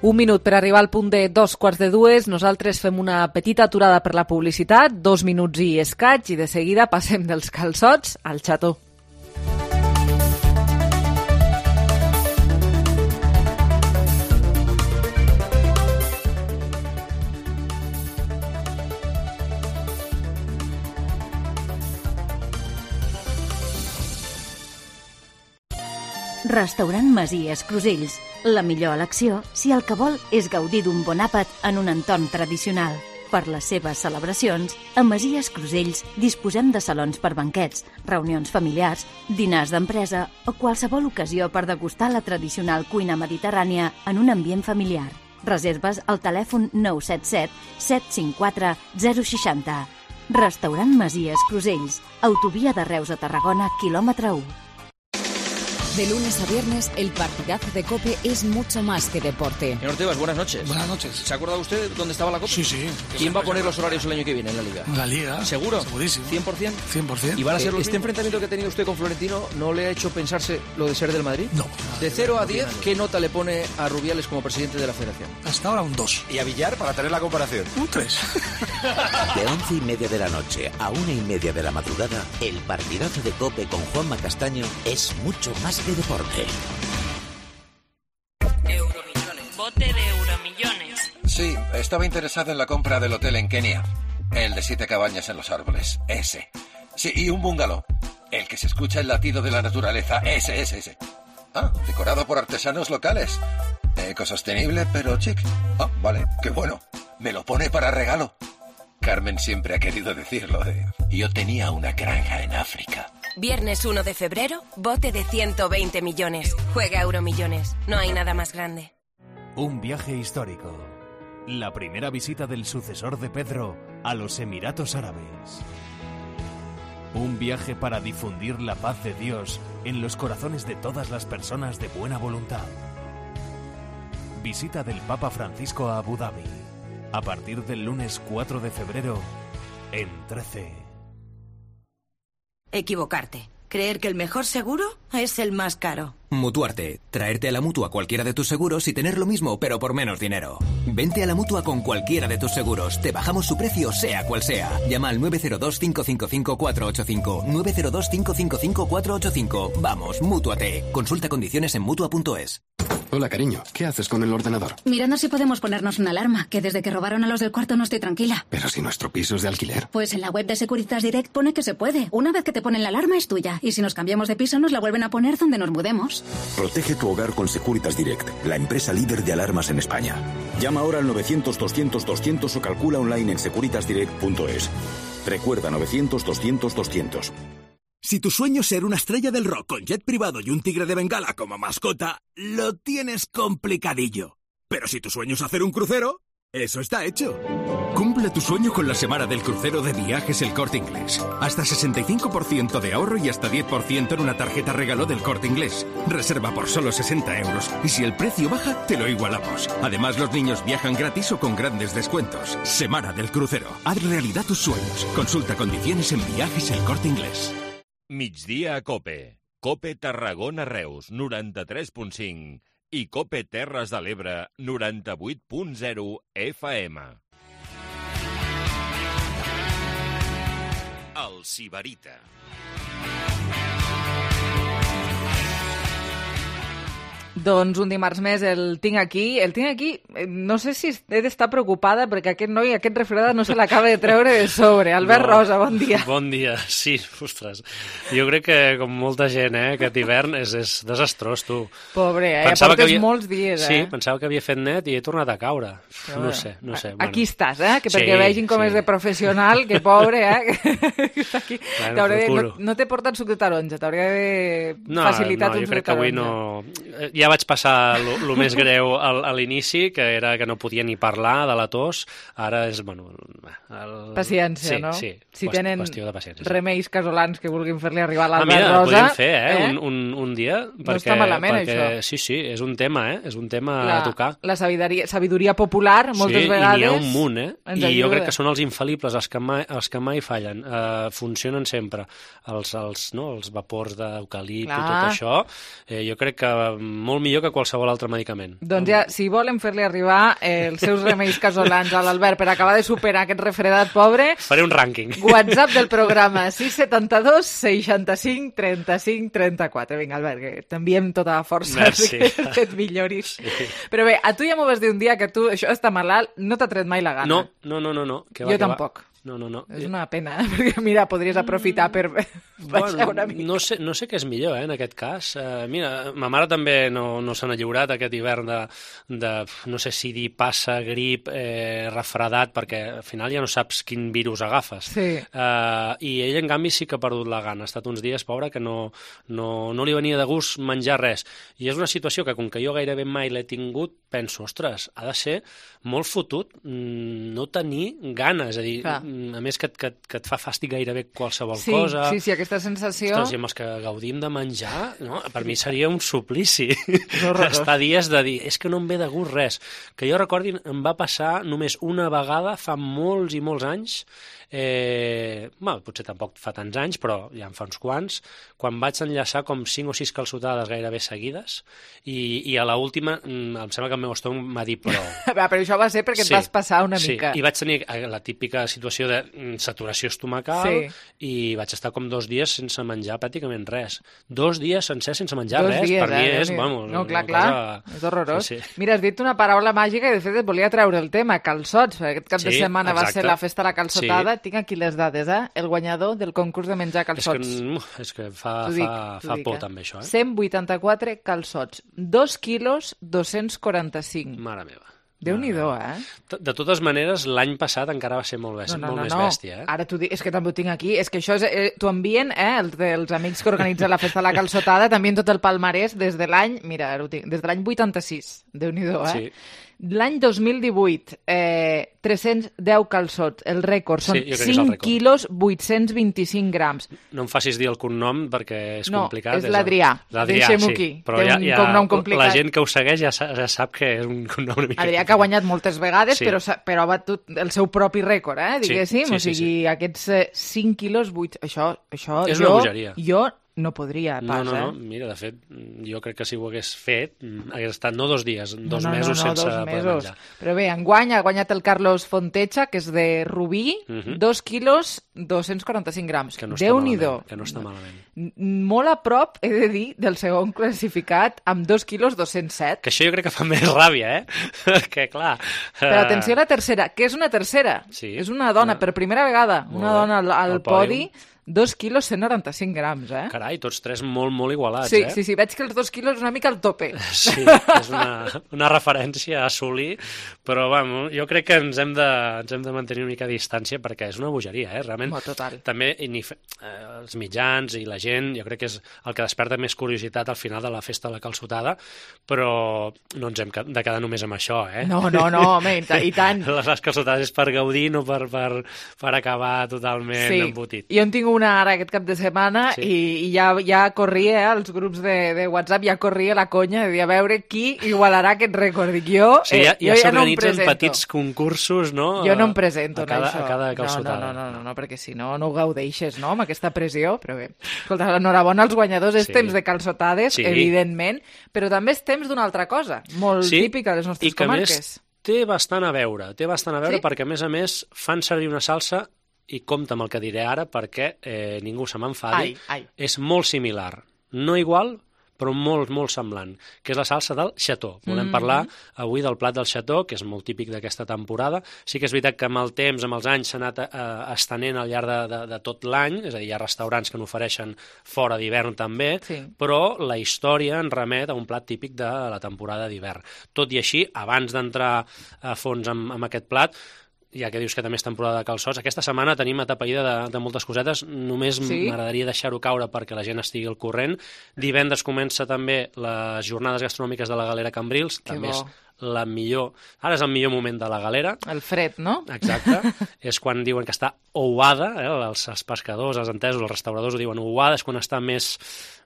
Un minut per arribar al punt de dos quarts de dues. Nosaltres fem una petita aturada per la publicitat, dos minuts i escaig, i de seguida passem dels calçots al xató. Restaurant Masies Crusells. La millor elecció si el que vol és gaudir d'un bon àpat en un entorn tradicional. Per les seves celebracions, a Masies Crusells disposem de salons per banquets, reunions familiars, dinars d'empresa o qualsevol ocasió per degustar la tradicional cuina mediterrània en un ambient familiar. Reserves al telèfon nou set set set cinc quatre zero sis zero. Restaurant Masies Crusells, autovia de Reus a Tarragona, quilòmetre u. De lunes a viernes, el partidazo de COPE es mucho más que deporte. Señor Tebas, buenas noches. Buenas noches. ¿Se ha acordado usted dónde estaba la COPE? Sí, sí. ¿Quién va a poner los horarios el año que viene en la Liga? La Liga. ¿Seguro? Segurísimo. ¿cien por ciento? cien por ciento. ¿Y van a ser los ¿Este mismos? ¿Enfrentamiento que ha tenido usted con Florentino no le ha hecho pensarse lo de ser del Madrid? No. De cero a diez, ¿qué nota le pone a Rubiales como presidente de la Federación? Hasta ahora un dos. ¿Y a Villar para tener la comparación? Un tres. De once y media de la noche a una y media de la madrugada, el partidazo de COPE con Juanma Castaño es mucho más que deporte. Euromillones. Bote de Euromillones. Sí, estaba interesado en la compra del hotel en Kenia. El de siete cabañas en los árboles. Ese. Sí, y un bungalow. El que se escucha el latido de la naturaleza. Ese, ese, ese. Ah, decorado por artesanos locales. Ecosostenible, pero chic. Ah, vale, qué bueno. Me lo pone para regalo. Carmen siempre ha querido decirlo de... Yo tenía una granja en África. Viernes uno de febrero, bote de ciento veinte millones. Juega Euromillones. No hay nada más grande. Un viaje histórico. La primera visita del sucesor de Pedro a los Emiratos Árabes. Un viaje para difundir la paz de Dios en los corazones de todas las personas de buena voluntad. Visita del Papa Francisco a Abu Dhabi. A partir del lunes cuatro de febrero en trece. Equivocarte. Creer que el mejor seguro es el más caro. Mutuarte. Traerte a la Mutua cualquiera de tus seguros y tener lo mismo, pero por menos dinero. Vente a la Mutua con cualquiera de tus seguros. Te bajamos su precio, sea cual sea. Llama al nueve cero dos, cinco cinco cinco, cuatro ocho cinco. nueve cero dos, cinco cinco cinco, cuatro ocho cinco. Vamos, Mútuate. Consulta condiciones en Mutua punto es. Hola, cariño. ¿Qué haces con el ordenador? Mirando si podemos ponernos una alarma, que desde que robaron a los del cuarto no estoy tranquila. Pero si nuestro piso es de alquiler. Pues en la web de Securitas Direct pone que se puede. Una vez que te ponen la alarma es tuya. Y si nos cambiamos de piso nos la vuelven a poner donde nos mudemos. Protege tu hogar con Securitas Direct, la empresa líder de alarmas en España. Llama ahora al novecientos, doscientos, doscientos o calcula online en securitas direct punto es. Recuerda novecientos, doscientos, doscientos. Si tu sueño es ser una estrella del rock con jet privado y un tigre de Bengala como mascota, lo tienes complicadillo. Pero si tu sueño es hacer un crucero, eso está hecho. Cumple tu sueño con la semana del crucero de Viajes El Corte Inglés. Hasta sesenta y cinco por ciento de ahorro y hasta diez por ciento en una tarjeta regalo del Corte Inglés. Reserva por solo sesenta euros y si el precio baja, te lo igualamos. Además, los niños viajan gratis o con grandes descuentos. Semana del crucero. Haz realidad tus sueños. Consulta condiciones en Viajes El Corte Inglés. Migdia a COPE. COPE Tarragona Reus, noranta-tres punt cinc. I COPE Terres de l'Ebre, noranta-vuit punt zero F M. El Sibarita. Doncs un dimarts més el tinc aquí. El tinc aquí, no sé si he d'estar preocupada perquè aquest noi, aquest refredat no se l'acaba de treure de sobre. Albert no. Rosa, bon dia. Bon dia, sí, ostres. Jo crec que, com molta gent, eh, aquest hivern és, és desastrós, tu. Pobre, eh? Pensava portes havia... molts dies, eh? Sí, pensava que havia fet net i he tornat a caure. Però no sé, no sé. Aquí bueno. estàs, eh? Que perquè sí, vegin com sí. és de professional, que pobre, eh? Aquí. Bueno, de... no, no t'he portat suc de taronja, t'hauria de no, facilitat no, un suc de taronja. No, jo crec que avui no... Ja vaig passar el més greu al, a l'inici, que era que no podia ni parlar de la tos. Ara és, bueno... El... Paciència, sí, no? Sí, si qüest, tenen qüestió de paciència. Remeis casolans que vulguin fer-li arribar a l'Albert ah, mira, Rosa... podríem fer, eh? eh? Un, un, un dia. No perquè, està malament, perquè, això. Sí, sí, és un tema, eh? És un tema la, a tocar. La sabidoria, sabidoria popular, moltes sí, vegades... Sí, i n'hi ha un munt, eh? I ajuda. jo crec que són els infal·libles, els que mai, els que mai fallen. Uh, funcionen sempre. Els, els, no, els vapors d'eucalipte i tot això, eh, jo crec que molt millor que qualsevol altre medicament. Doncs ja, si volen fer-li arribar eh, els seus remeis casolans a l'Albert per acabar de superar aquest refredat pobre... Faré un rànquing. WhatsApp del programa sis setanta dos seixanta-cinc trenta-cinc trenta-quatre. Vinga, Albert, que t'enviem tota la força Merci. que et milloris. Sí. Però bé, a tu ja m'ho vas dir un dia que tu, això està malalt, no t'ha tret mai la gana. No, no, no, no. no. Que va, jo que tampoc. Va. No, no, no. És una pena, eh? Perquè, mira, podries aprofitar per baixar bueno, una mica. No sé, no sé què és millor, eh, en aquest cas. Uh, mira, ma mare també no, no se n'ha lliurat aquest hivern de, de, no sé si dir passa, grip, eh, refredat, perquè al final ja no saps quin virus agafes. Sí. Uh, I ell, en canvi, sí que ha perdut la gana. Ha estat uns dies, pobra, que no, no, no li venia de gust menjar res. I és una situació que, com que jo gairebé mai l'he tingut, penso, ostres, ha de ser molt fotut no tenir gana, és a dir, Clar. a més que, que, que et fa fàstic gairebé qualsevol sí, cosa. Sí, sí, aquesta sensació... Ostres, i amb els que gaudim de menjar, no? Per mi seria un suplici. Estar dies de dir, és que no em ve de gust res. Que jo recordi, em va passar només una vegada fa molts i molts anys, eh, bueno, potser tampoc fa tants anys, però ja en fa uns quants, quan vaig enllaçar com cinc o sis calçotades gairebé seguides, i, i a l'última em sembla que el meu estómac m'ha dit prou. Però això va ser perquè sí, et vas passar una sí, mica. I vaig tenir la típica situació de saturació estomacal sí. I vaig estar com dos dies sense menjar pràcticament res. Dos dies sencers sense menjar dos res, dies, per mi eh? és, vamos... No, clar, clar, cosa... és horrorós. Sí, sí. Mira, has dit una paraula màgica i de fet et volia treure el tema, calçots, perquè aquest cap sí, de setmana exacte. Va ser la festa de la calçotada. Sí. Tinc aquí les dades, eh? El guanyador del concurs de menjar calçots. És que, és que fa, dic, fa, fa dic, por, eh? També, això, eh? cent vuitanta-quatre calçots, dos quilos, dos-cents quaranta-cinc. Mare meva. Déu-n'hi-do, eh? De totes maneres, l'any passat encara va ser molt, bèstia, no, no, molt no, més no. bèstia, eh? Ara t'ho dic, és que també ho tinc aquí, és que això és, eh, t'ho envien, eh, els, els amics que organitzen la festa de la calçotada, també en tot el palmarès des de l'any, mira, ara ho tinc, des de l'any vuitanta-sis, Déu-n'hi-do, eh? Sí. L'any dos mil divuit, eh, tres-cents deu calçots, el rècord, són sí, cinc quilos, vuit-cents vint-i-cinc grams. No em facis dir el cognom perquè és no, complicat. No, és l'Adrià, deixem-ho sí, aquí, però té ja, un ja, cognom complicat. La gent que ho segueix ja, ja sap que és un cognom una mica... Adrià que ha guanyat moltes vegades, sí. però, però ha batut el seu propi rècord, eh, diguéssim, sí, sí, o sigui, sí, sí. aquests eh, cinc quilos, vuit... Això, això és jo, una bogeria. Jo no podria pas, no, no, no. eh? Mira, de fet, jo crec que si ho hagués fet, hagués estat no dos dies, dos no, no, mesos no, no, sense dos poder mesos. menjar. Però bé, enguany ha guanyat el Carlos Fontecha, que és de Rubí, uh -huh. dos quilos, dos-cents quaranta-cinc grams. Que no està Déu-n'hi-do. malament, que no està malament. Molt a prop, he de dir, del segon classificat, amb dos quilos, dos-cents set. Que això jo crec que fa més ràbia, eh? que clar... Però atenció a la tercera, que és una tercera. Sí. És una dona, per primera vegada, molt una bé. dona al, al el podi, dos quilos, cent noranta-cinc grams, eh? Carai, tots tres molt, molt igualats, sí, eh? Sí, sí, veig que els dos quilos és una mica al tope. Sí, és una, una referència a assolir, però, bueno, jo crec que ens hem, de, ens hem de mantenir una mica de distància perquè és una bogeria, eh? Realment, oh, total. També ni, eh, els mitjans i la gent, jo crec que és el que desperta més curiositat al final de la festa de la calçotada, però no ens hem de quedar només amb això, eh? No, no, no, home, i, i tant. Les, les calçotades és per gaudir, no per, per, per acabar totalment sí. embotit. Jo en tinc una ara aquest cap de setmana sí. i, i ja, ja corria, eh, als grups de, de WhatsApp, ja corria la conya de dir a veure qui igualarà aquest rècord. Dic, jo, sí, ja, eh, jo ja, ja no em s'organitzen presento. petits concursos, no? Jo no em presento a cada, en això. A cada calçotada. No, no, no, no, no, perquè si no, no ho gaudeixes, no?, amb aquesta pressió, però bé. Escolta, l'enhorabona als guanyadors, és sí. temps de calçotades, sí. evidentment, però també és temps d'una altra cosa, molt sí. típica de les nostres I que comarques. Més té bastant a veure, té bastant a veure sí? perquè, a més a més, fan servir una salsa i compta amb el que diré ara perquè eh, ningú se m'enfadi, és molt similar. No igual, però molt, molt semblant, que és la salsa del xató. Volem mm-hmm. parlar avui del plat del xató, que és molt típic d'aquesta temporada. Sí que és veritat que amb el temps, amb els anys, s'ha anat eh, estenent al llarg de, de, de tot l'any, és a dir, hi ha restaurants que n'ofereixen fora d'hivern també, sí. però la història en remet a un plat típic de la temporada d'hivern. Tot i així, abans d'entrar a fons amb, amb aquest plat, ja que dius que també és temporada de calçots, aquesta setmana tenim atapeïda de, de moltes cosetes, només sí? m'agradaria deixar-ho caure perquè la gent estigui al corrent. Divendres comença també les jornades gastronòmiques de la Galera Cambrils, que també bo. és la millor, ara és el millor moment de la galera. El fred, no? Exacte, és quan diuen que està ouada, eh? els, els pescadors, els entesos, els restauradors ho diuen, ouada és quan està més,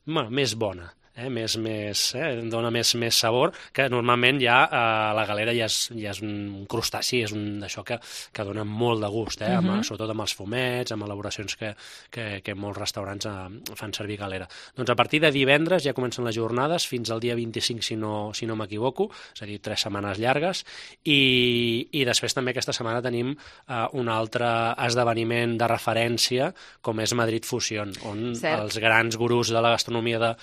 bueno, més bona. Eh, més, més, eh, dona més, més sabor, que normalment ja eh, la galera ja és, ja és un crustaci, és un d'això que, que dona molt de gust, eh, amb, uh-huh. sobretot amb els fumets, amb elaboracions que, que, que molts restaurants eh, fan servir galera. Doncs a partir de divendres ja comencen les jornades, fins al dia vint-i-cinc, si no, si no m'equivoco, és a dir, tres setmanes llargues, i, i després també aquesta setmana tenim eh, un altre esdeveniment de referència, com és Madrid Fusion, on Cert. els grans gurús de la gastronomia de,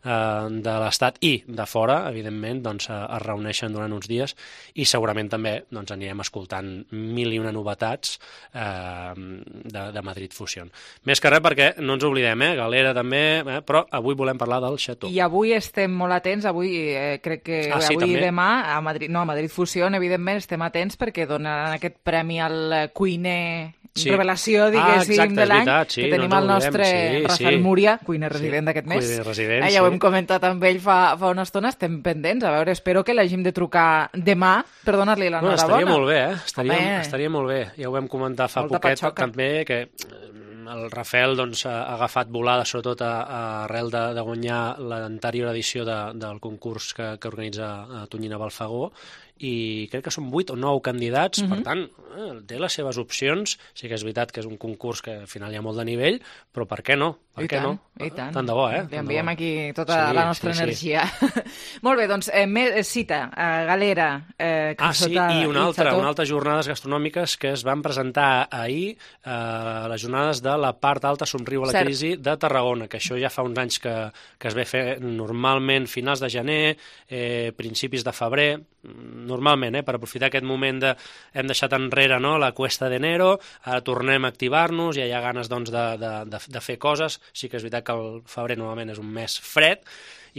eh, de l'Estat i de fora, evidentment, doncs, es reuneixen durant uns dies i segurament també doncs, anirem escoltant mil i una novetats eh, de, de Madrid Fusion. Més que res perquè no ens oblidem, eh? Galera també, eh? Però avui volem parlar del Chateau. I avui estem molt atents, avui eh, crec que ah, sí, avui també? i demà a Madrid, no, a Madrid Fusion, evidentment, estem atents perquè donaran aquest premi al cuiner sí. revelació, diguéssim, ah, exacte, de l'any, sí, que tenim no el nostre sí, Rafael sí. Múria, cuiner resident sí. d'aquest mes. Cuiner resident, eh, ja sí. ho hem comentat amb ell fa, fa una estona, estem pendents. A veure, espero que l'hagim de trucar demà per donar-li l'enhorabona. No, estaria molt bé, eh? Estaria, estaria molt bé. Ja ho vam comentar fa Molta poquet patxoca. també, que el Rafael doncs, ha agafat volada, sobretot a, a arrel de, de guanyar l'anterior edició de, del concurs que, que organitza Tonyina Balfagó, i crec que són vuit o nou candidats, mm-hmm. per tant, eh, té les seves opcions. Sí que és veritat que és un concurs que al final hi ha molt de nivell, però per què no? Per I què tant, no? I tant. Tant de bo, eh? Li enviem aquí tota sí, la nostra sí, energia. Sí. Molt bé, doncs, eh, més, cita, eh, Galera, eh, Ah, sí, i una altra, una altra jornades gastronòmiques que es van presentar ahir, eh, les jornades de la part alta Somriu a la Cert. crisi de Tarragona, que això ja fa uns anys que, que es ve fer normalment finals de gener, eh, principis de febrer, normalment, eh, per aprofitar aquest moment de hem deixat enrere no, la cuesta d'enero, ara tornem a activar-nos, ja hi ha ganes doncs, de, de, de, de fer coses. Sí que és veritat que el febrer normalment és un mes fred,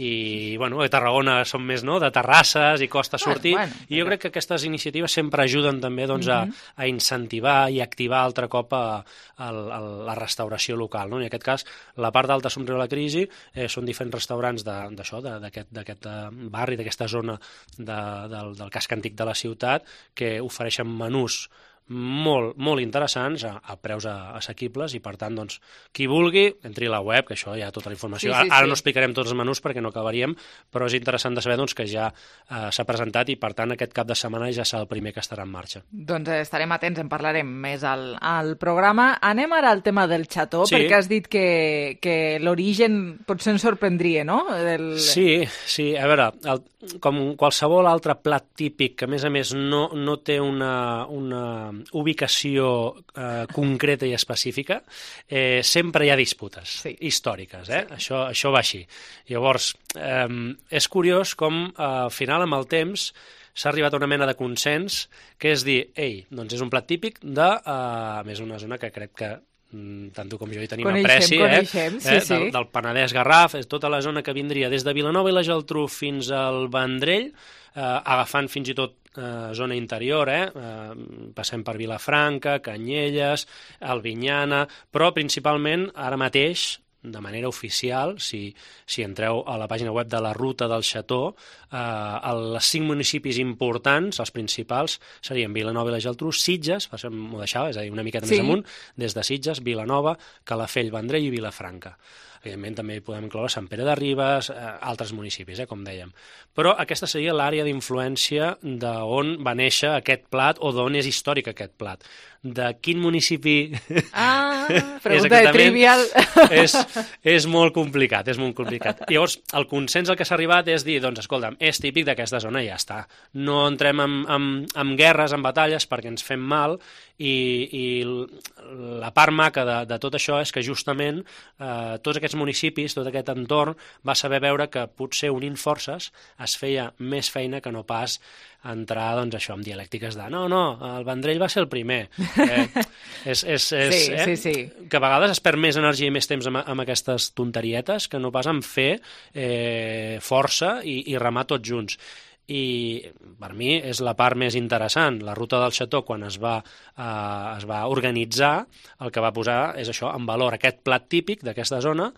i bueno, a Tarragona són més no, de terrasses i costa sortir, bueno, bueno, i jo crec que aquestes iniciatives sempre ajuden també doncs, a, a incentivar i activar altre cop a, a, a la restauració local. No? En aquest cas, la part d'alta Somriu a la crisi eh, són diferents restaurants d'això, d'aquest barri, d'aquesta zona de, del, del casc antic de la ciutat, que ofereixen menús molt, molt interessants a, a preus assequibles, i per tant, doncs, qui vulgui, entri a la web, que això hi ha tota la informació. Sí, sí, ara, ara sí. no explicarem tots els menús perquè no acabaríem, però és interessant de saber doncs, que ja eh, s'ha presentat i per tant aquest cap de setmana ja serà el primer que estarà en marxa. Doncs eh, estarem atents, en parlarem més al, al programa. Anem ara al tema del Chateau, sí. perquè has dit que, que l'origen potser ens sorprendria, no? Del... Sí, sí, a veure, el, com qualsevol altre plat típic que a més a més no, no té una, una ubicació eh, concreta i específica, eh, sempre hi ha disputes sí. històriques, eh? Sí. Això, això va així. Llavors, eh, és curiós com eh, al final, amb el temps, s'ha arribat a una mena de consens, que és dir, ei, doncs és un plat típic de, eh, a més, una zona que crec que tant tu com jo hi tenim coneixem, apreci, coneixem, eh? sí, eh? sí. Del, del Penedès Garraf, és tota la zona que vindria des de Vilanova i la Geltrú fins al Vendrell, eh, agafant fins i tot eh, zona interior, eh? eh? passem per Vilafranca, Canyelles, Albinyana, però principalment ara mateix, de manera oficial, si, si entreu a la pàgina web de la Ruta del Chateau, eh, els cinc municipis importants, els principals, serien Vilanova i la Geltrú, Sitges, m'ho deixava, és a dir, una miqueta sí. més amunt, des de Sitges, Vilanova, Calafell, Vendrell i Vilafranca. Evidentment també hi podem incloure Sant Pere de Ribes, eh, altres municipis, eh, com dèiem. Però aquesta seria l'àrea d'influència d'on va néixer aquest plat o d'on és històric aquest plat. De quin municipi... Ah, pregunta de trivial. És, és molt complicat, és molt complicat. Llavors, el consens al que s'ha arribat és dir, doncs, escolta'm, és típic d'aquesta zona i ja està. No entrem en, en, en guerres, en batalles, perquè ens fem mal, i, i la part maca de, de tot això és que justament eh, tots aquests municipis, tot aquest entorn, va saber veure que potser unint forces es feia més feina que no pas entrar, doncs, això, amb dialèctiques de no, no, el Vendrell va ser el primer. Eh, és, és, és, sí, eh? sí, sí. Que a vegades es perd més energia i més temps amb, amb aquestes tonterietes que no pas en fer eh, força i, i remar tots junts. I per mi és la part més interessant. La Ruta del Chateau, quan es va, eh, es va organitzar, el que va posar és això, en valor aquest plat típic d'aquesta zona,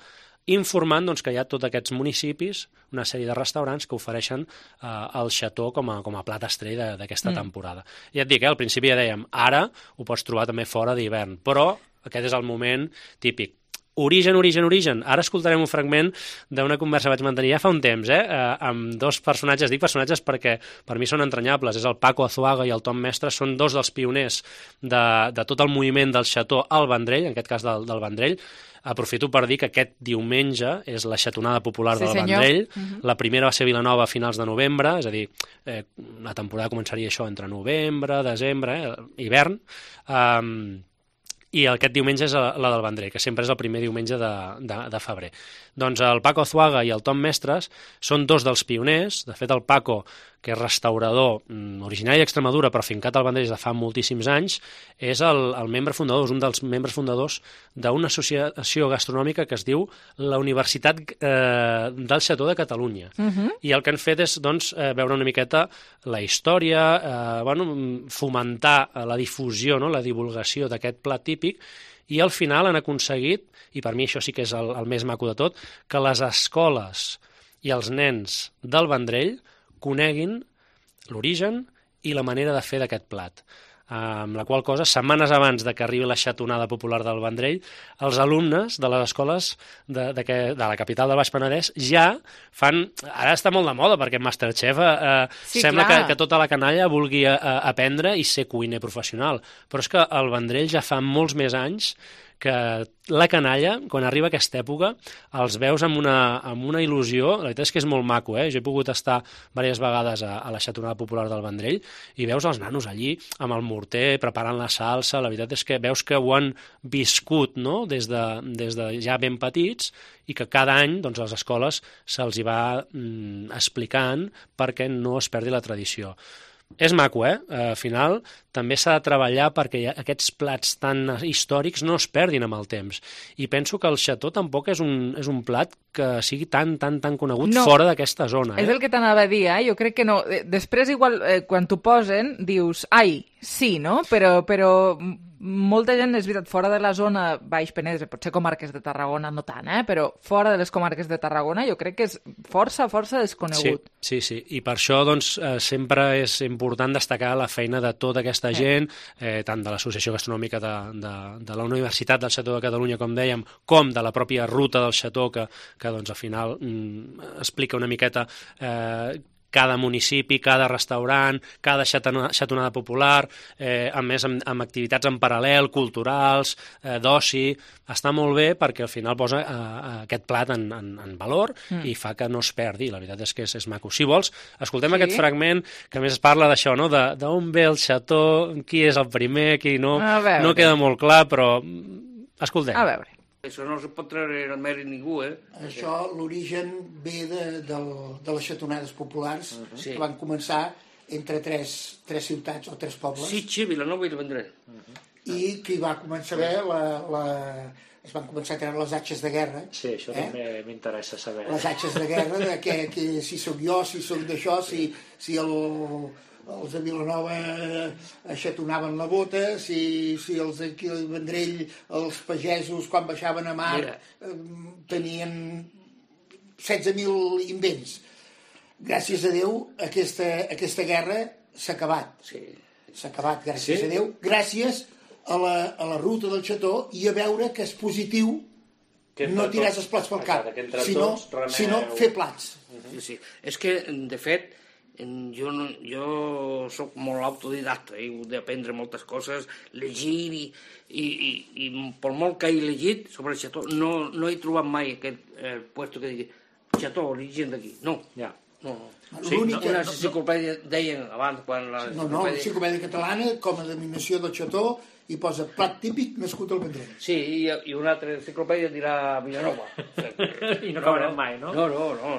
informant doncs, que hi ha tots aquests municipis, una sèrie de restaurants que ofereixen eh, el Chateau com a, com a plat estrella d'aquesta mm. temporada. Ja et dic, eh, al principi ja dèiem, ara ho pots trobar també fora d'hivern, però aquest és el moment típic. Origen, origen, origen. Ara escoltarem un fragment d'una conversa que vaig mantenir ja fa un temps, eh, eh, amb dos personatges. Dic personatges perquè per mi són entranyables. És el Paco Azuaga i el Tom Mestre, són dos dels pioners de, de tot el moviment del Chateau al Vendrell, en aquest cas del, del Vendrell. Aprofito per dir que aquest diumenge és la xatonada popular sí, del senyor. Vendrell. Uh-huh. La primera va ser a Vilanova a finals de novembre, és a dir, eh, la temporada començaria això entre novembre, desembre, eh, hivern. Um, i aquest diumenge és la del Vendrell, que sempre és el primer diumenge de, de, de febrer. Doncs el Paco Zuaga i el Tom Mestres són dos dels pioners. De fet, el Paco, que és restaurador originari d'Extremadura, però fincat al Vendrell des de fa moltíssims anys, és el, el membre fundador, és un dels membres fundadors d'una associació gastronòmica que es diu la Universitat eh, del Xató de Catalunya. Uh-huh. I el que han fet és doncs, eh, veure una miqueta la història, eh, bueno, fomentar la difusió, no? La divulgació d'aquest plat típic, i al final han aconseguit, i per mi això sí que és el, el més maco de tot, que les escoles i els nens del Vendrell coneguin l'origen i la manera de fer d'aquest plat. Amb la qual cosa, setmanes abans de que arribi la xatonada popular del Vendrell, els alumnes de les escoles de, de, que, de la capital del Baix Penedès ja fan... Ara està molt de moda, perquè Masterchef eh, sí, sembla que, que tota la canalla vulgui eh, aprendre i ser cuiner professional. Però és que el Vendrell ja fa molts més anys que la canalla, quan arriba aquesta època, els veus amb una, amb una il·lusió. La veritat és que és molt maco, eh? Jo he pogut estar diverses vegades a, a la xatonada popular del Vendrell i veus els nanos allí amb el morter, preparant la salsa. La veritat és que veus que ho han viscut, no? des, de, des de ja ben petits, i que cada any doncs, a les escoles se'ls hi va mm, explicant perquè no es perdi la tradició. És maco, eh? Al final també s'ha de treballar perquè aquests plats tan històrics no es perdin amb el temps. I penso que el xató tampoc és un, és un plat que sigui tan, tan, tan conegut no, fora d'aquesta zona. Eh? És el que t'anava a dir, eh? Jo crec que no. Després, igual, eh, quan t'ho posen, dius, ai, sí, no? Però, però molta gent, és veritat, fora de la zona Baix Penedès, potser comarques de Tarragona no tant, eh? Però fora de les comarques de Tarragona jo crec que és força, força desconegut. Sí, sí, sí. I per això doncs, eh, sempre és important destacar la feina de tota aquesta gent, eh, tant de l'Associació Gastronòmica de, de, de la Universitat del Xató de Catalunya, com dèiem, com de la pròpia ruta del xató, que, que doncs, al final mm, explica una miqueta eh, cada municipi, cada restaurant, cada xatonada popular, eh, a més amb, amb activitats en paral·lel, culturals, eh, d'oci. Està molt bé perquè al final posa eh, aquest plat en, en, en valor mm. i fa que no es perdi. La veritat és que és, és maco. Si vols, escoltem sí? aquest fragment que a més es parla d'això, no? D'on ve el xató, qui és el primer, qui no. No queda molt clar, però escoltem. A veure. Això no es pot treure el mèrit ningú, eh? Això, l'origen ve de, de, de les xatonades populars, uh-huh. que van començar entre tres, tres ciutats o tres pobles. Sitges, Vilanova i el Vendrell. Uh-huh. I que hi va començar a haver la, la... es van començar a treure les atxes de guerra. Sí, això eh? també m'interessa saber. Les atxes de guerra, de que, que si sóc jo, si sóc d'això, si, si el... els de Vilanova aixatonaven la bota, si, si els d'aquí al Vendrell, els pagesos, quan baixaven a mar, eh, tenien setze mil invents. Gràcies a Déu, aquesta, aquesta guerra s'ha acabat. Sí. S'ha acabat, gràcies sí? a Déu. Gràcies a la, a la ruta del xató i a veure que és positiu que no tirar els plats pel cap, sinó, remeu... sinó fer plats. Uh-huh. Sí, sí. És que, de fet, jo, no, jo soc molt autodidacta, he hagut d'aprendre moltes coses, llegir i, i, i, i per molt que he llegit sobre el xató, no, no he trobat mai aquest eh, puesto que digui xató, origen d'aquí. No, ja. No, no. Sí, no, una enciclopèdia deien abans quan la no, no, l'enciclopèdia catalana com a denominació del xató i posa plat típic nascut al Vendrell. Sí, i, i una altra enciclopèdia dirà Vilanova. I no acabarem mai, no? No, no, no.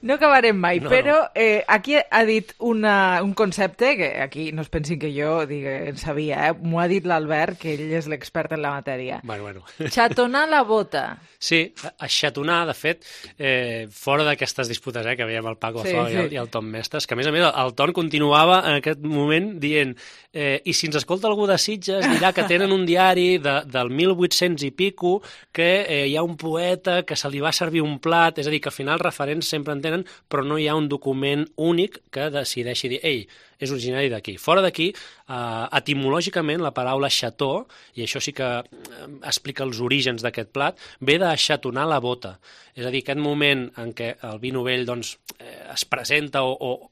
No acabarem mai, no, però no. Eh, aquí ha dit una, un concepte que aquí no es pensin que jo dic, en sabia, eh? M'ho ha dit l'Albert, que ell és l'expert en la matèria. Bueno, bueno. Xatonar la bota. Sí, aixatonar, de fet, eh, fora d'aquestes disputes eh, que veiem el Paco sí, Zuaga sí. i, el, i el Tom Mestres, que a més a més el Tom continuava en aquest moment dient eh, i si ens escolta algú de Sitges dirà que tenen un diari de, del mil vuit-cents i pico que eh, hi ha un poeta que se li va servir un plat, és a dir, que al final referents sempre en tenen, però no hi ha un document únic que decideixi dir, ei, és originari d'aquí. Fora d'aquí, eh, etimològicament, la paraula xató, i això sí que eh, explica els orígens d'aquest plat, ve de xatonar la bota. És a dir, aquest moment en què el vi novell doncs, eh, es presenta o, o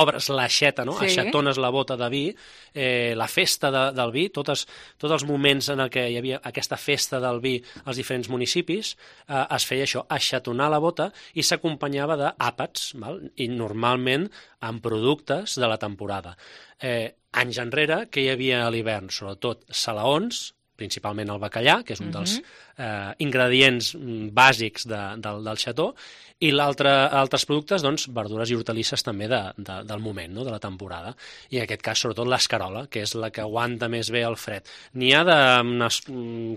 obres l'aixeta, no? Sí. Aixetones la bota de vi, eh, la festa de, del vi, totes, tots els moments en què hi havia aquesta festa del vi als diferents municipis, eh, es feia això, aixetonar la bota, i s'acompanyava d'àpats, val? I normalment amb productes de la temporada. Eh, anys enrere, que hi havia a l'hivern? Sobretot salaons, principalment el bacallà, que és un dels eh, ingredients bàsics de, del, del xató, i l'altre altres productes, doncs, verdures i hortalisses també de, de, del moment, no? De la temporada. I en aquest cas, sobretot, l'escarola, que és la que aguanta més bé el fred. N'hi ha d'unes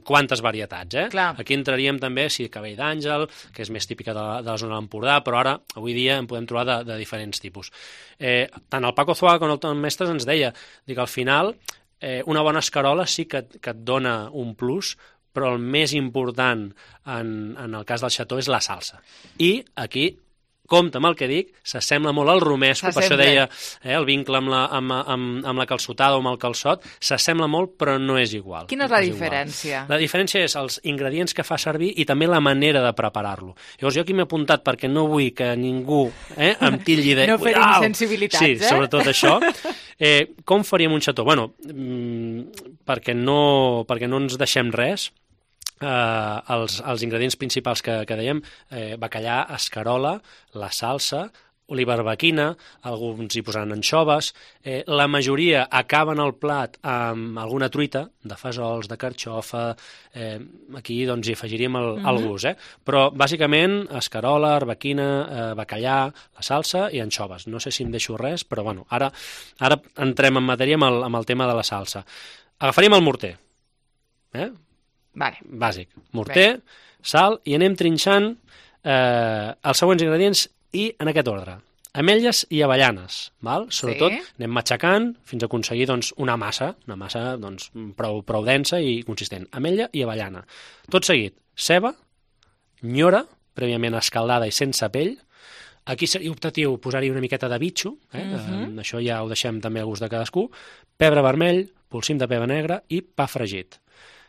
quantes varietats, eh? Clar. Aquí entraríem també, sí, cabell d'àngel, que és més típica de la, de la zona de l'Empordà, però ara, avui dia, en podem trobar de, de diferents tipus. Eh, tant el Paco Zuaga com el Tom Mestres ens deia que al final Eh, una bona escarola sí que, que et dona un plus, però el més important en, en el cas del xató és la salsa. I aquí, compte amb el que dic, s'assembla molt al romesco, per això deia eh, el vincle amb la, amb, amb, amb la calçotada o amb el calçot, s'assembla molt però no és igual. Quina és la és diferència? Igual. La diferència és els ingredients que fa servir i també la manera de preparar-lo. Llavors jo aquí m'he apuntat perquè no vull que ningú eh, em tilli de... No ferim sensibilitats, sí, eh? Sí, sobretot això. Eh, com faríem un xató? Bueno, mmm, perquè, no, perquè no ens deixem res, eh, els, els ingredients principals que, que dèiem, eh, bacallà, escarola, la salsa, olivarbaquina, alguns hi posaran anxoves, eh, la majoria acaben el plat amb alguna truita, de fesols, de carxofa, eh, aquí doncs hi afegiríem el, mm-hmm. el gust, eh? Però bàsicament escarola, arbequina, eh, bacallà, la salsa i anxoves. No sé si em deixo res, però bueno, ara, ara entrem en matèria amb el, amb el tema de la salsa. Agafaríem el morter, eh? Vale. Bàsic. Morter, Bé. sal, i anem trinxant eh, els següents ingredients i en aquest ordre. Ametlles i avellanes, val? Sobretot sí. Anem matxacant fins a aconseguir doncs, una massa, una massa doncs, prou, prou densa i consistent. Ametlla i avellana. Tot seguit, ceba, nyora, prèviament escaldada i sense pell. Aquí seria optatiu posar-hi una miqueta de bitxo, eh? Mm-hmm. eh, això ja ho deixem també al gust de cadascú, pebre vermell, polsim de pebre negre i pa fregit.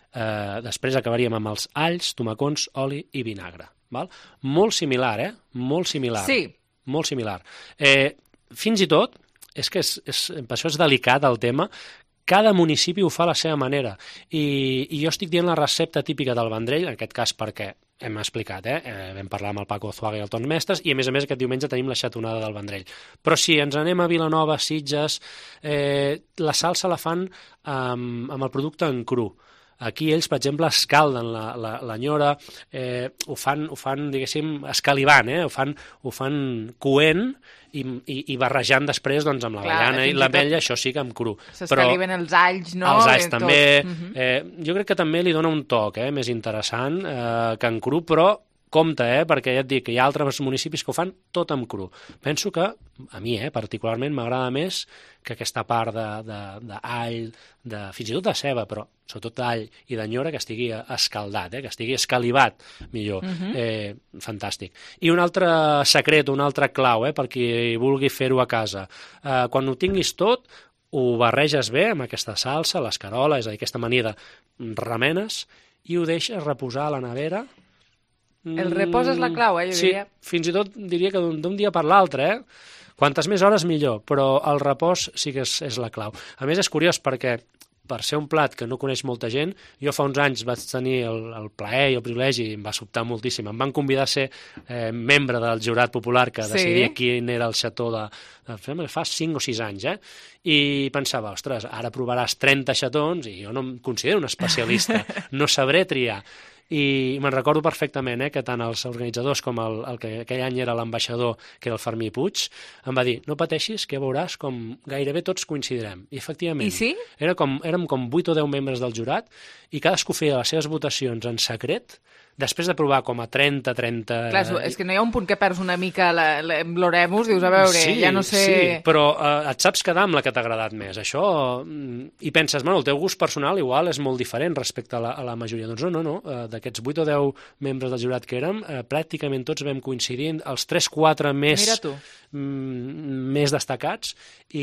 Eh, després acabaríem amb els alls, tomacons, oli i vinagre. Val? Molt similar, eh? Molt similar. Sí. Molt similar. Eh, fins i tot, és que és, és, per això és delicat el tema, cada municipi ho fa a la seva manera. I, i jo estic dient la recepta típica del Vendrell, en aquest cas perquè hem explicat, eh? eh vam parlar amb el Paco Zuaga i el Ton Mestres, i a més a més aquest diumenge tenim la xatonada del Vendrell. Però si ens anem a Vilanova, Sitges, eh, la salsa la fan amb, amb el producte en cru. Aquí ells, per exemple, escalden la, la, la nyora, eh, ho fan, ho fan, diguéssim, escalivant, eh? ho fan, ho fan coent i, i, i barrejant després doncs, amb l'avellana i l'ametlla, això sí que amb cru. S'escaliven els alls, no? Els alls també. Uh-huh. eh, jo crec que també li dona un toc eh, més interessant eh, que en cru, però compte, eh, perquè ja et dic que hi ha altres municipis que ho fan tot amb cru. Penso que, a mi, eh, particularment, m'agrada més que aquesta part d'all, de, de, de, fins i tot de ceba, però sobretot d'all i de nyora, que estigui escaldat, eh, que estigui escalivat, millor. Uh-huh. eh, fantàstic. I un altre secret, un altre clau, eh, per qui vulgui fer-ho a casa. Eh, quan ho tinguis tot, ho barreges bé amb aquesta salsa, l'escarola, és a dir, aquesta mania de remenes, i ho deixes reposar a la nevera. El repòs és la clau, eh, jo sí, diria. Fins i tot diria que d'un dia per l'altre, eh? Quantes més hores millor, però el repòs sí que és, és la clau. A més, és curiós perquè per ser un plat que no coneix molta gent, jo fa uns anys vaig tenir el, el plaer i el privilegi, i em va sobtar moltíssim. Em van convidar a ser eh, membre del jurat popular que sí. decidia quin era el xató de, de... fa cinc o sis anys, eh? I pensava, ostres, ara provaràs trenta xatons i jo no em considero un especialista, no sabré triar. I me'n recordo perfectament eh, que tant els organitzadors com el, el que aquell any era l'ambaixador, que era el Fermí Puig, em va dir, no pateixis, que ja veuràs com gairebé tots coincidirem. I efectivament, I sí? era com, érem com vuit o deu membres del jurat i cadascú feia les seves votacions en secret, després de provar com a trenta, trenta... Clar, és que no hi ha un punt que perds una mica l'oremus, dius, a veure, sí, ja no sé... Sí, però eh, et saps quedar amb la que t'ha agradat més. Això, i penses, bueno, el teu gust personal igual és molt diferent respecte a la, a la majoria. Doncs no, no, no, eh, d'aquests vuit o deu membres del jurat que érem, eh, pràcticament tots vam coincidir, els tres quatre més, mm, més destacats, i,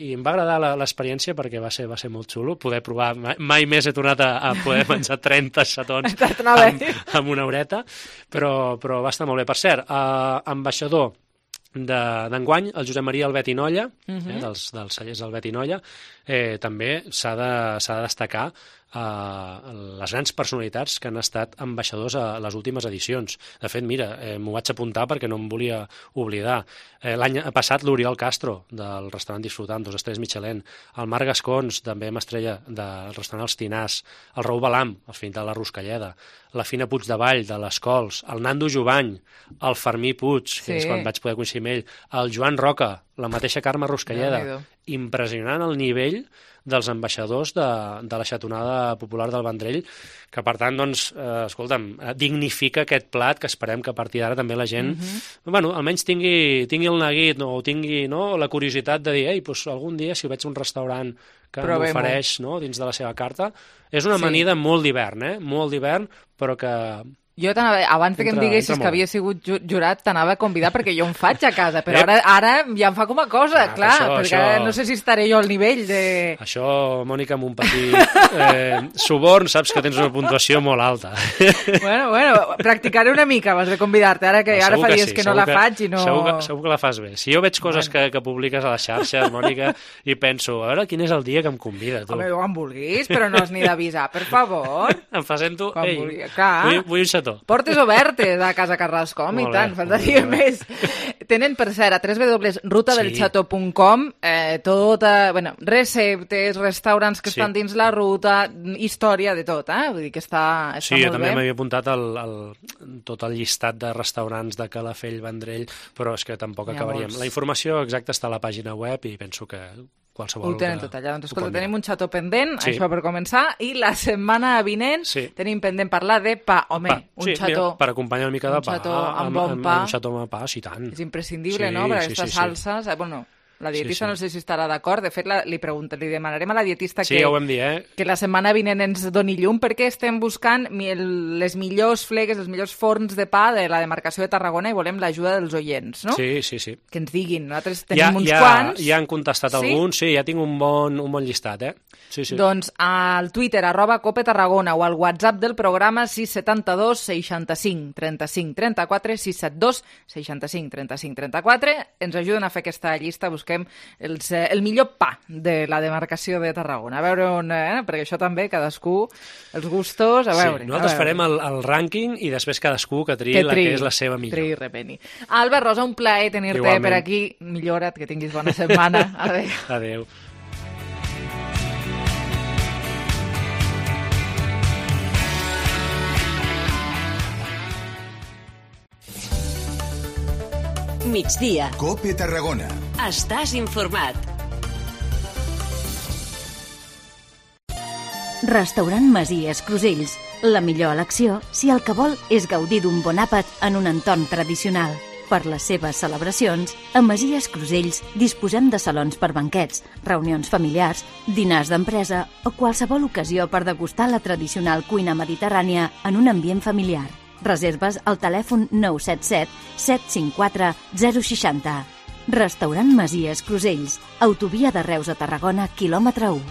i em va agradar l'experiència perquè va ser, va ser molt xulo poder provar. Mai, mai més he tornat a, a poder menjar trenta xatons amb, amb una horeta, però, però va estar molt bé. Per cert, eh, ambaixador, d'enguany, el Josep Maria Albet i Nolla, uh -huh. eh, dels, dels cellers Albet i Nolla, eh, també s'ha de, s'ha de destacar eh, les grans personalitats que han estat ambaixadors a les últimes edicions. De fet, mira, eh, m'ho vaig apuntar perquè no em volia oblidar. Eh, L'any passat l'Oriol Castro, del restaurant Disfrutant, dos estrelles Michelin, el Marc Gascons, també amb estrella del restaurant Els Tinars, el Raül Balam, el fill de la Ruscalleda, la Fina Puigdevall, de les Cols, el Nando Jovany, el Fermí Puig, que sí. és quan vaig poder coincidir amb ell, el Joan Roca, la mateixa Carme Ruscalleda. Impressionant el nivell dels ambaixadors de, de la xatonada popular del Vendrell, que per tant, doncs, eh, escolta'm, dignifica aquest plat que esperem que a partir d'ara també la gent, uh-huh. bueno, almenys tingui, tingui el neguit, no, o tingui no, la curiositat de dir, ei, doncs algun dia si veig un restaurant que m'ofereix no, dins de la seva carta, és una amanida sí. molt d'hivern, eh? Molt d'hivern, però que... Jo abans que em diguessis que havia sigut jurat, t'anava a convidar perquè jo em faig a casa, però ara, ara ja em fa com a cosa, ah, clar, això, perquè això... no sé si estaré jo al nivell de... Això, Mònica, amb un petit eh, suborn, saps que tens una puntuació molt alta. Bueno, bueno, practicaré una mica abans de convidar-te, ara que ara fa dies que, sí, que no la que, faig i no... Segur que, segur que la fas bé. Si jo veig coses bueno. que, que publiques a les xarxes, Mònica, i penso, a veure quin és el dia que em convida, tu. Home, quan vulguis, però no has ni d'avisar, per favor. Em presento, ei, vulgui... vull, vull un xató. Portes obertes a Casa Carrascom i tant, faltaria més. Tenen, per cert, a w w w punt ruta del chato punt com eh, tota, bueno, receptes, restaurants que sí. estan dins la ruta, història de tot, eh? Vull dir que està, està sí, molt bé. Sí, jo també m'havia apuntat el, el, tot el llistat de restaurants de Calafell, Vendrell, però és que tampoc acabaríem. La informació exacta està a la pàgina web i penso que qualsevol... Ho tenen tot allà. Doncs escolta, tenim un xató pendent, sí. això per començar, i la setmana vinent sí. tenim pendent parlar de pa. Home, pa. un sí, xató... Mira, per acompanyar una mica de pa. Un xató amb bon amb, pa. amb, un xató amb pa, sí, tant. És imprescindible, sí, no?, per sí, aquestes sí, salses. sí. Bueno, la dietista sí, sí. no sé si estarà d'acord. De fet, la, li, pregunta, li demanarem a la dietista sí, que, ja ho vam dir, eh? que la setmana vinent ens doni llum, perquè estem buscant les millors flegues, els millors forns de pa de la demarcació de Tarragona i volem l'ajuda dels oients, no? Sí, sí, sí. Que ens diguin. Nosaltres tenim ja, uns ja, quants. Ja han contestat sí? alguns, sí, ja tinc un bon, un bon llistat, eh? Sí, sí. Doncs al Twitter, arroba Cope Tarragona, o al WhatsApp del programa sis set dos seixanta-cinc trenta-cinc trenta-quatre, sis set dos seixanta-cinc trenta-cinc trenta-quatre. Ens ajuden a fer aquesta llista, busquem els, eh, el millor pa de la demarcació de Tarragona. A veure on, eh? perquè això també, cadascú, els gustos, a veure. Sí, nosaltres a veure. farem el, el rànquing i després cadascú que triï la que és la seva millor. Triï, repeni. Albert Rosa, un plaer tenir-te per aquí. Millora't, que tinguis bona setmana. Adéu. Adéu. Migdia. Cope Tarragona. Estàs informat. Restaurant Masies Crusells. La millor elecció si el que vol és gaudir d'un bon àpat en un entorn tradicional. Per les seves celebracions, a Masies Crusells disposem de salons per banquets, reunions familiars, dinars d'empresa o qualsevol ocasió per degustar la tradicional cuina mediterrània en un ambient familiar. Reserves al telèfon nou set set set cinc quatre zero sis zero. Restaurant Masies Crusells, autovia de Reus a Tarragona, quilòmetre u.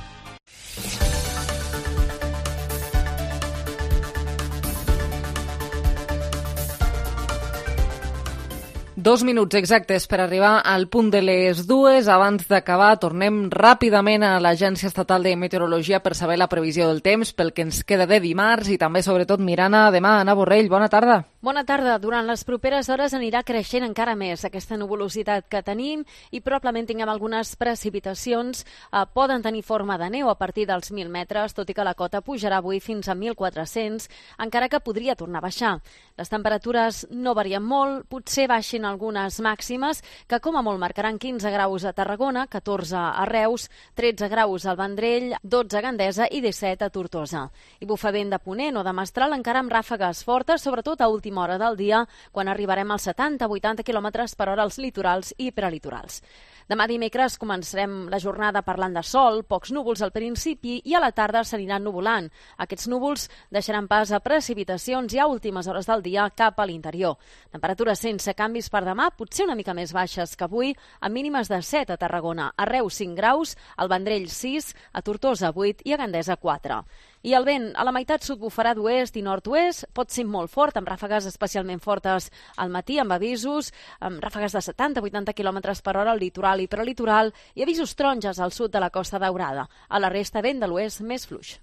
Dos minuts exactes per arribar al punt de les dues. Abans d'acabar, tornem ràpidament a l'Agència Estatal de Meteorologia per saber la previsió del temps pel que ens queda de dimarts i també, sobretot, mirant a demà. Anna Borrell, bona tarda. Bona tarda. Durant les properes hores anirà creixent encara més aquesta nuvolositat que tenim i probablement tinguem algunes precipitacions. Eh, poden tenir forma de neu a partir dels mil metres, tot i que la cota pujarà avui fins a mil quatre-cents, encara que podria tornar a baixar. Les temperatures no varien molt, potser baixin algunes màximes, que com a molt marcaran quinze graus a Tarragona, catorze a Reus, tretze graus al Vendrell, dotze a Gandesa i disset a Tortosa. I bufa vent de ponent o de mestral encara amb ràfegues fortes, sobretot a última hora del dia, quan arribarem als setanta a vuitanta quilòmetres per hora als litorals i prelitorals. Demà dimecres començarem la jornada parlant de sol, pocs núvols al principi i a la tarda s'aniran nuvolant. Aquests núvols deixaran pas a precipitacions i a últimes hores del dia cap a l'interior. Temperatures sense canvis per demà, potser una mica més baixes que avui, amb mínimes de set a Tarragona, a Reus cinc graus, al Vendrell sis, a Tortosa vuit i a Gandesa quatre. I el vent a la meitat sud bufarà d'oest i nord-oest, pot ser molt fort, amb ràfegues especialment fortes al matí, amb avisos, amb ràfegues de setanta a vuitanta quilòmetres per hora al litoral i prelitoral, i avisos taronges al sud de la Costa Daurada. A la resta, vent de l'oest més fluix.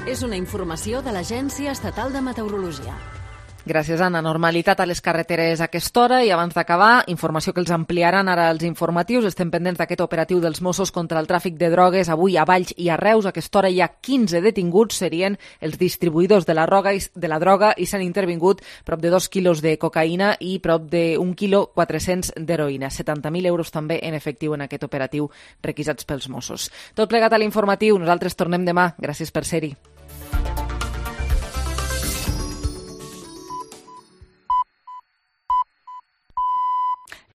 És una informació de l'Agència Estatal de Meteorologia. Gràcies, Anna. Normalitat a les carreteres a aquesta hora i abans d'acabar, informació que els ampliaran ara els informatius. Estem pendents d'aquest operatiu dels Mossos contra el tràfic de drogues avui a Valls i a Reus. A aquesta hora hi ha quinze detinguts, serien els distribuïdors de la droga i, de la droga i s'han intervingut prop de dos quilos de cocaïna i prop d'un quilo quatre-cents d'heroïna. setanta mil euros també en efectiu en aquest operatiu requisats pels Mossos. Tot plegat a l'informatiu. Nosaltres tornem demà. Gràcies per ser-hi.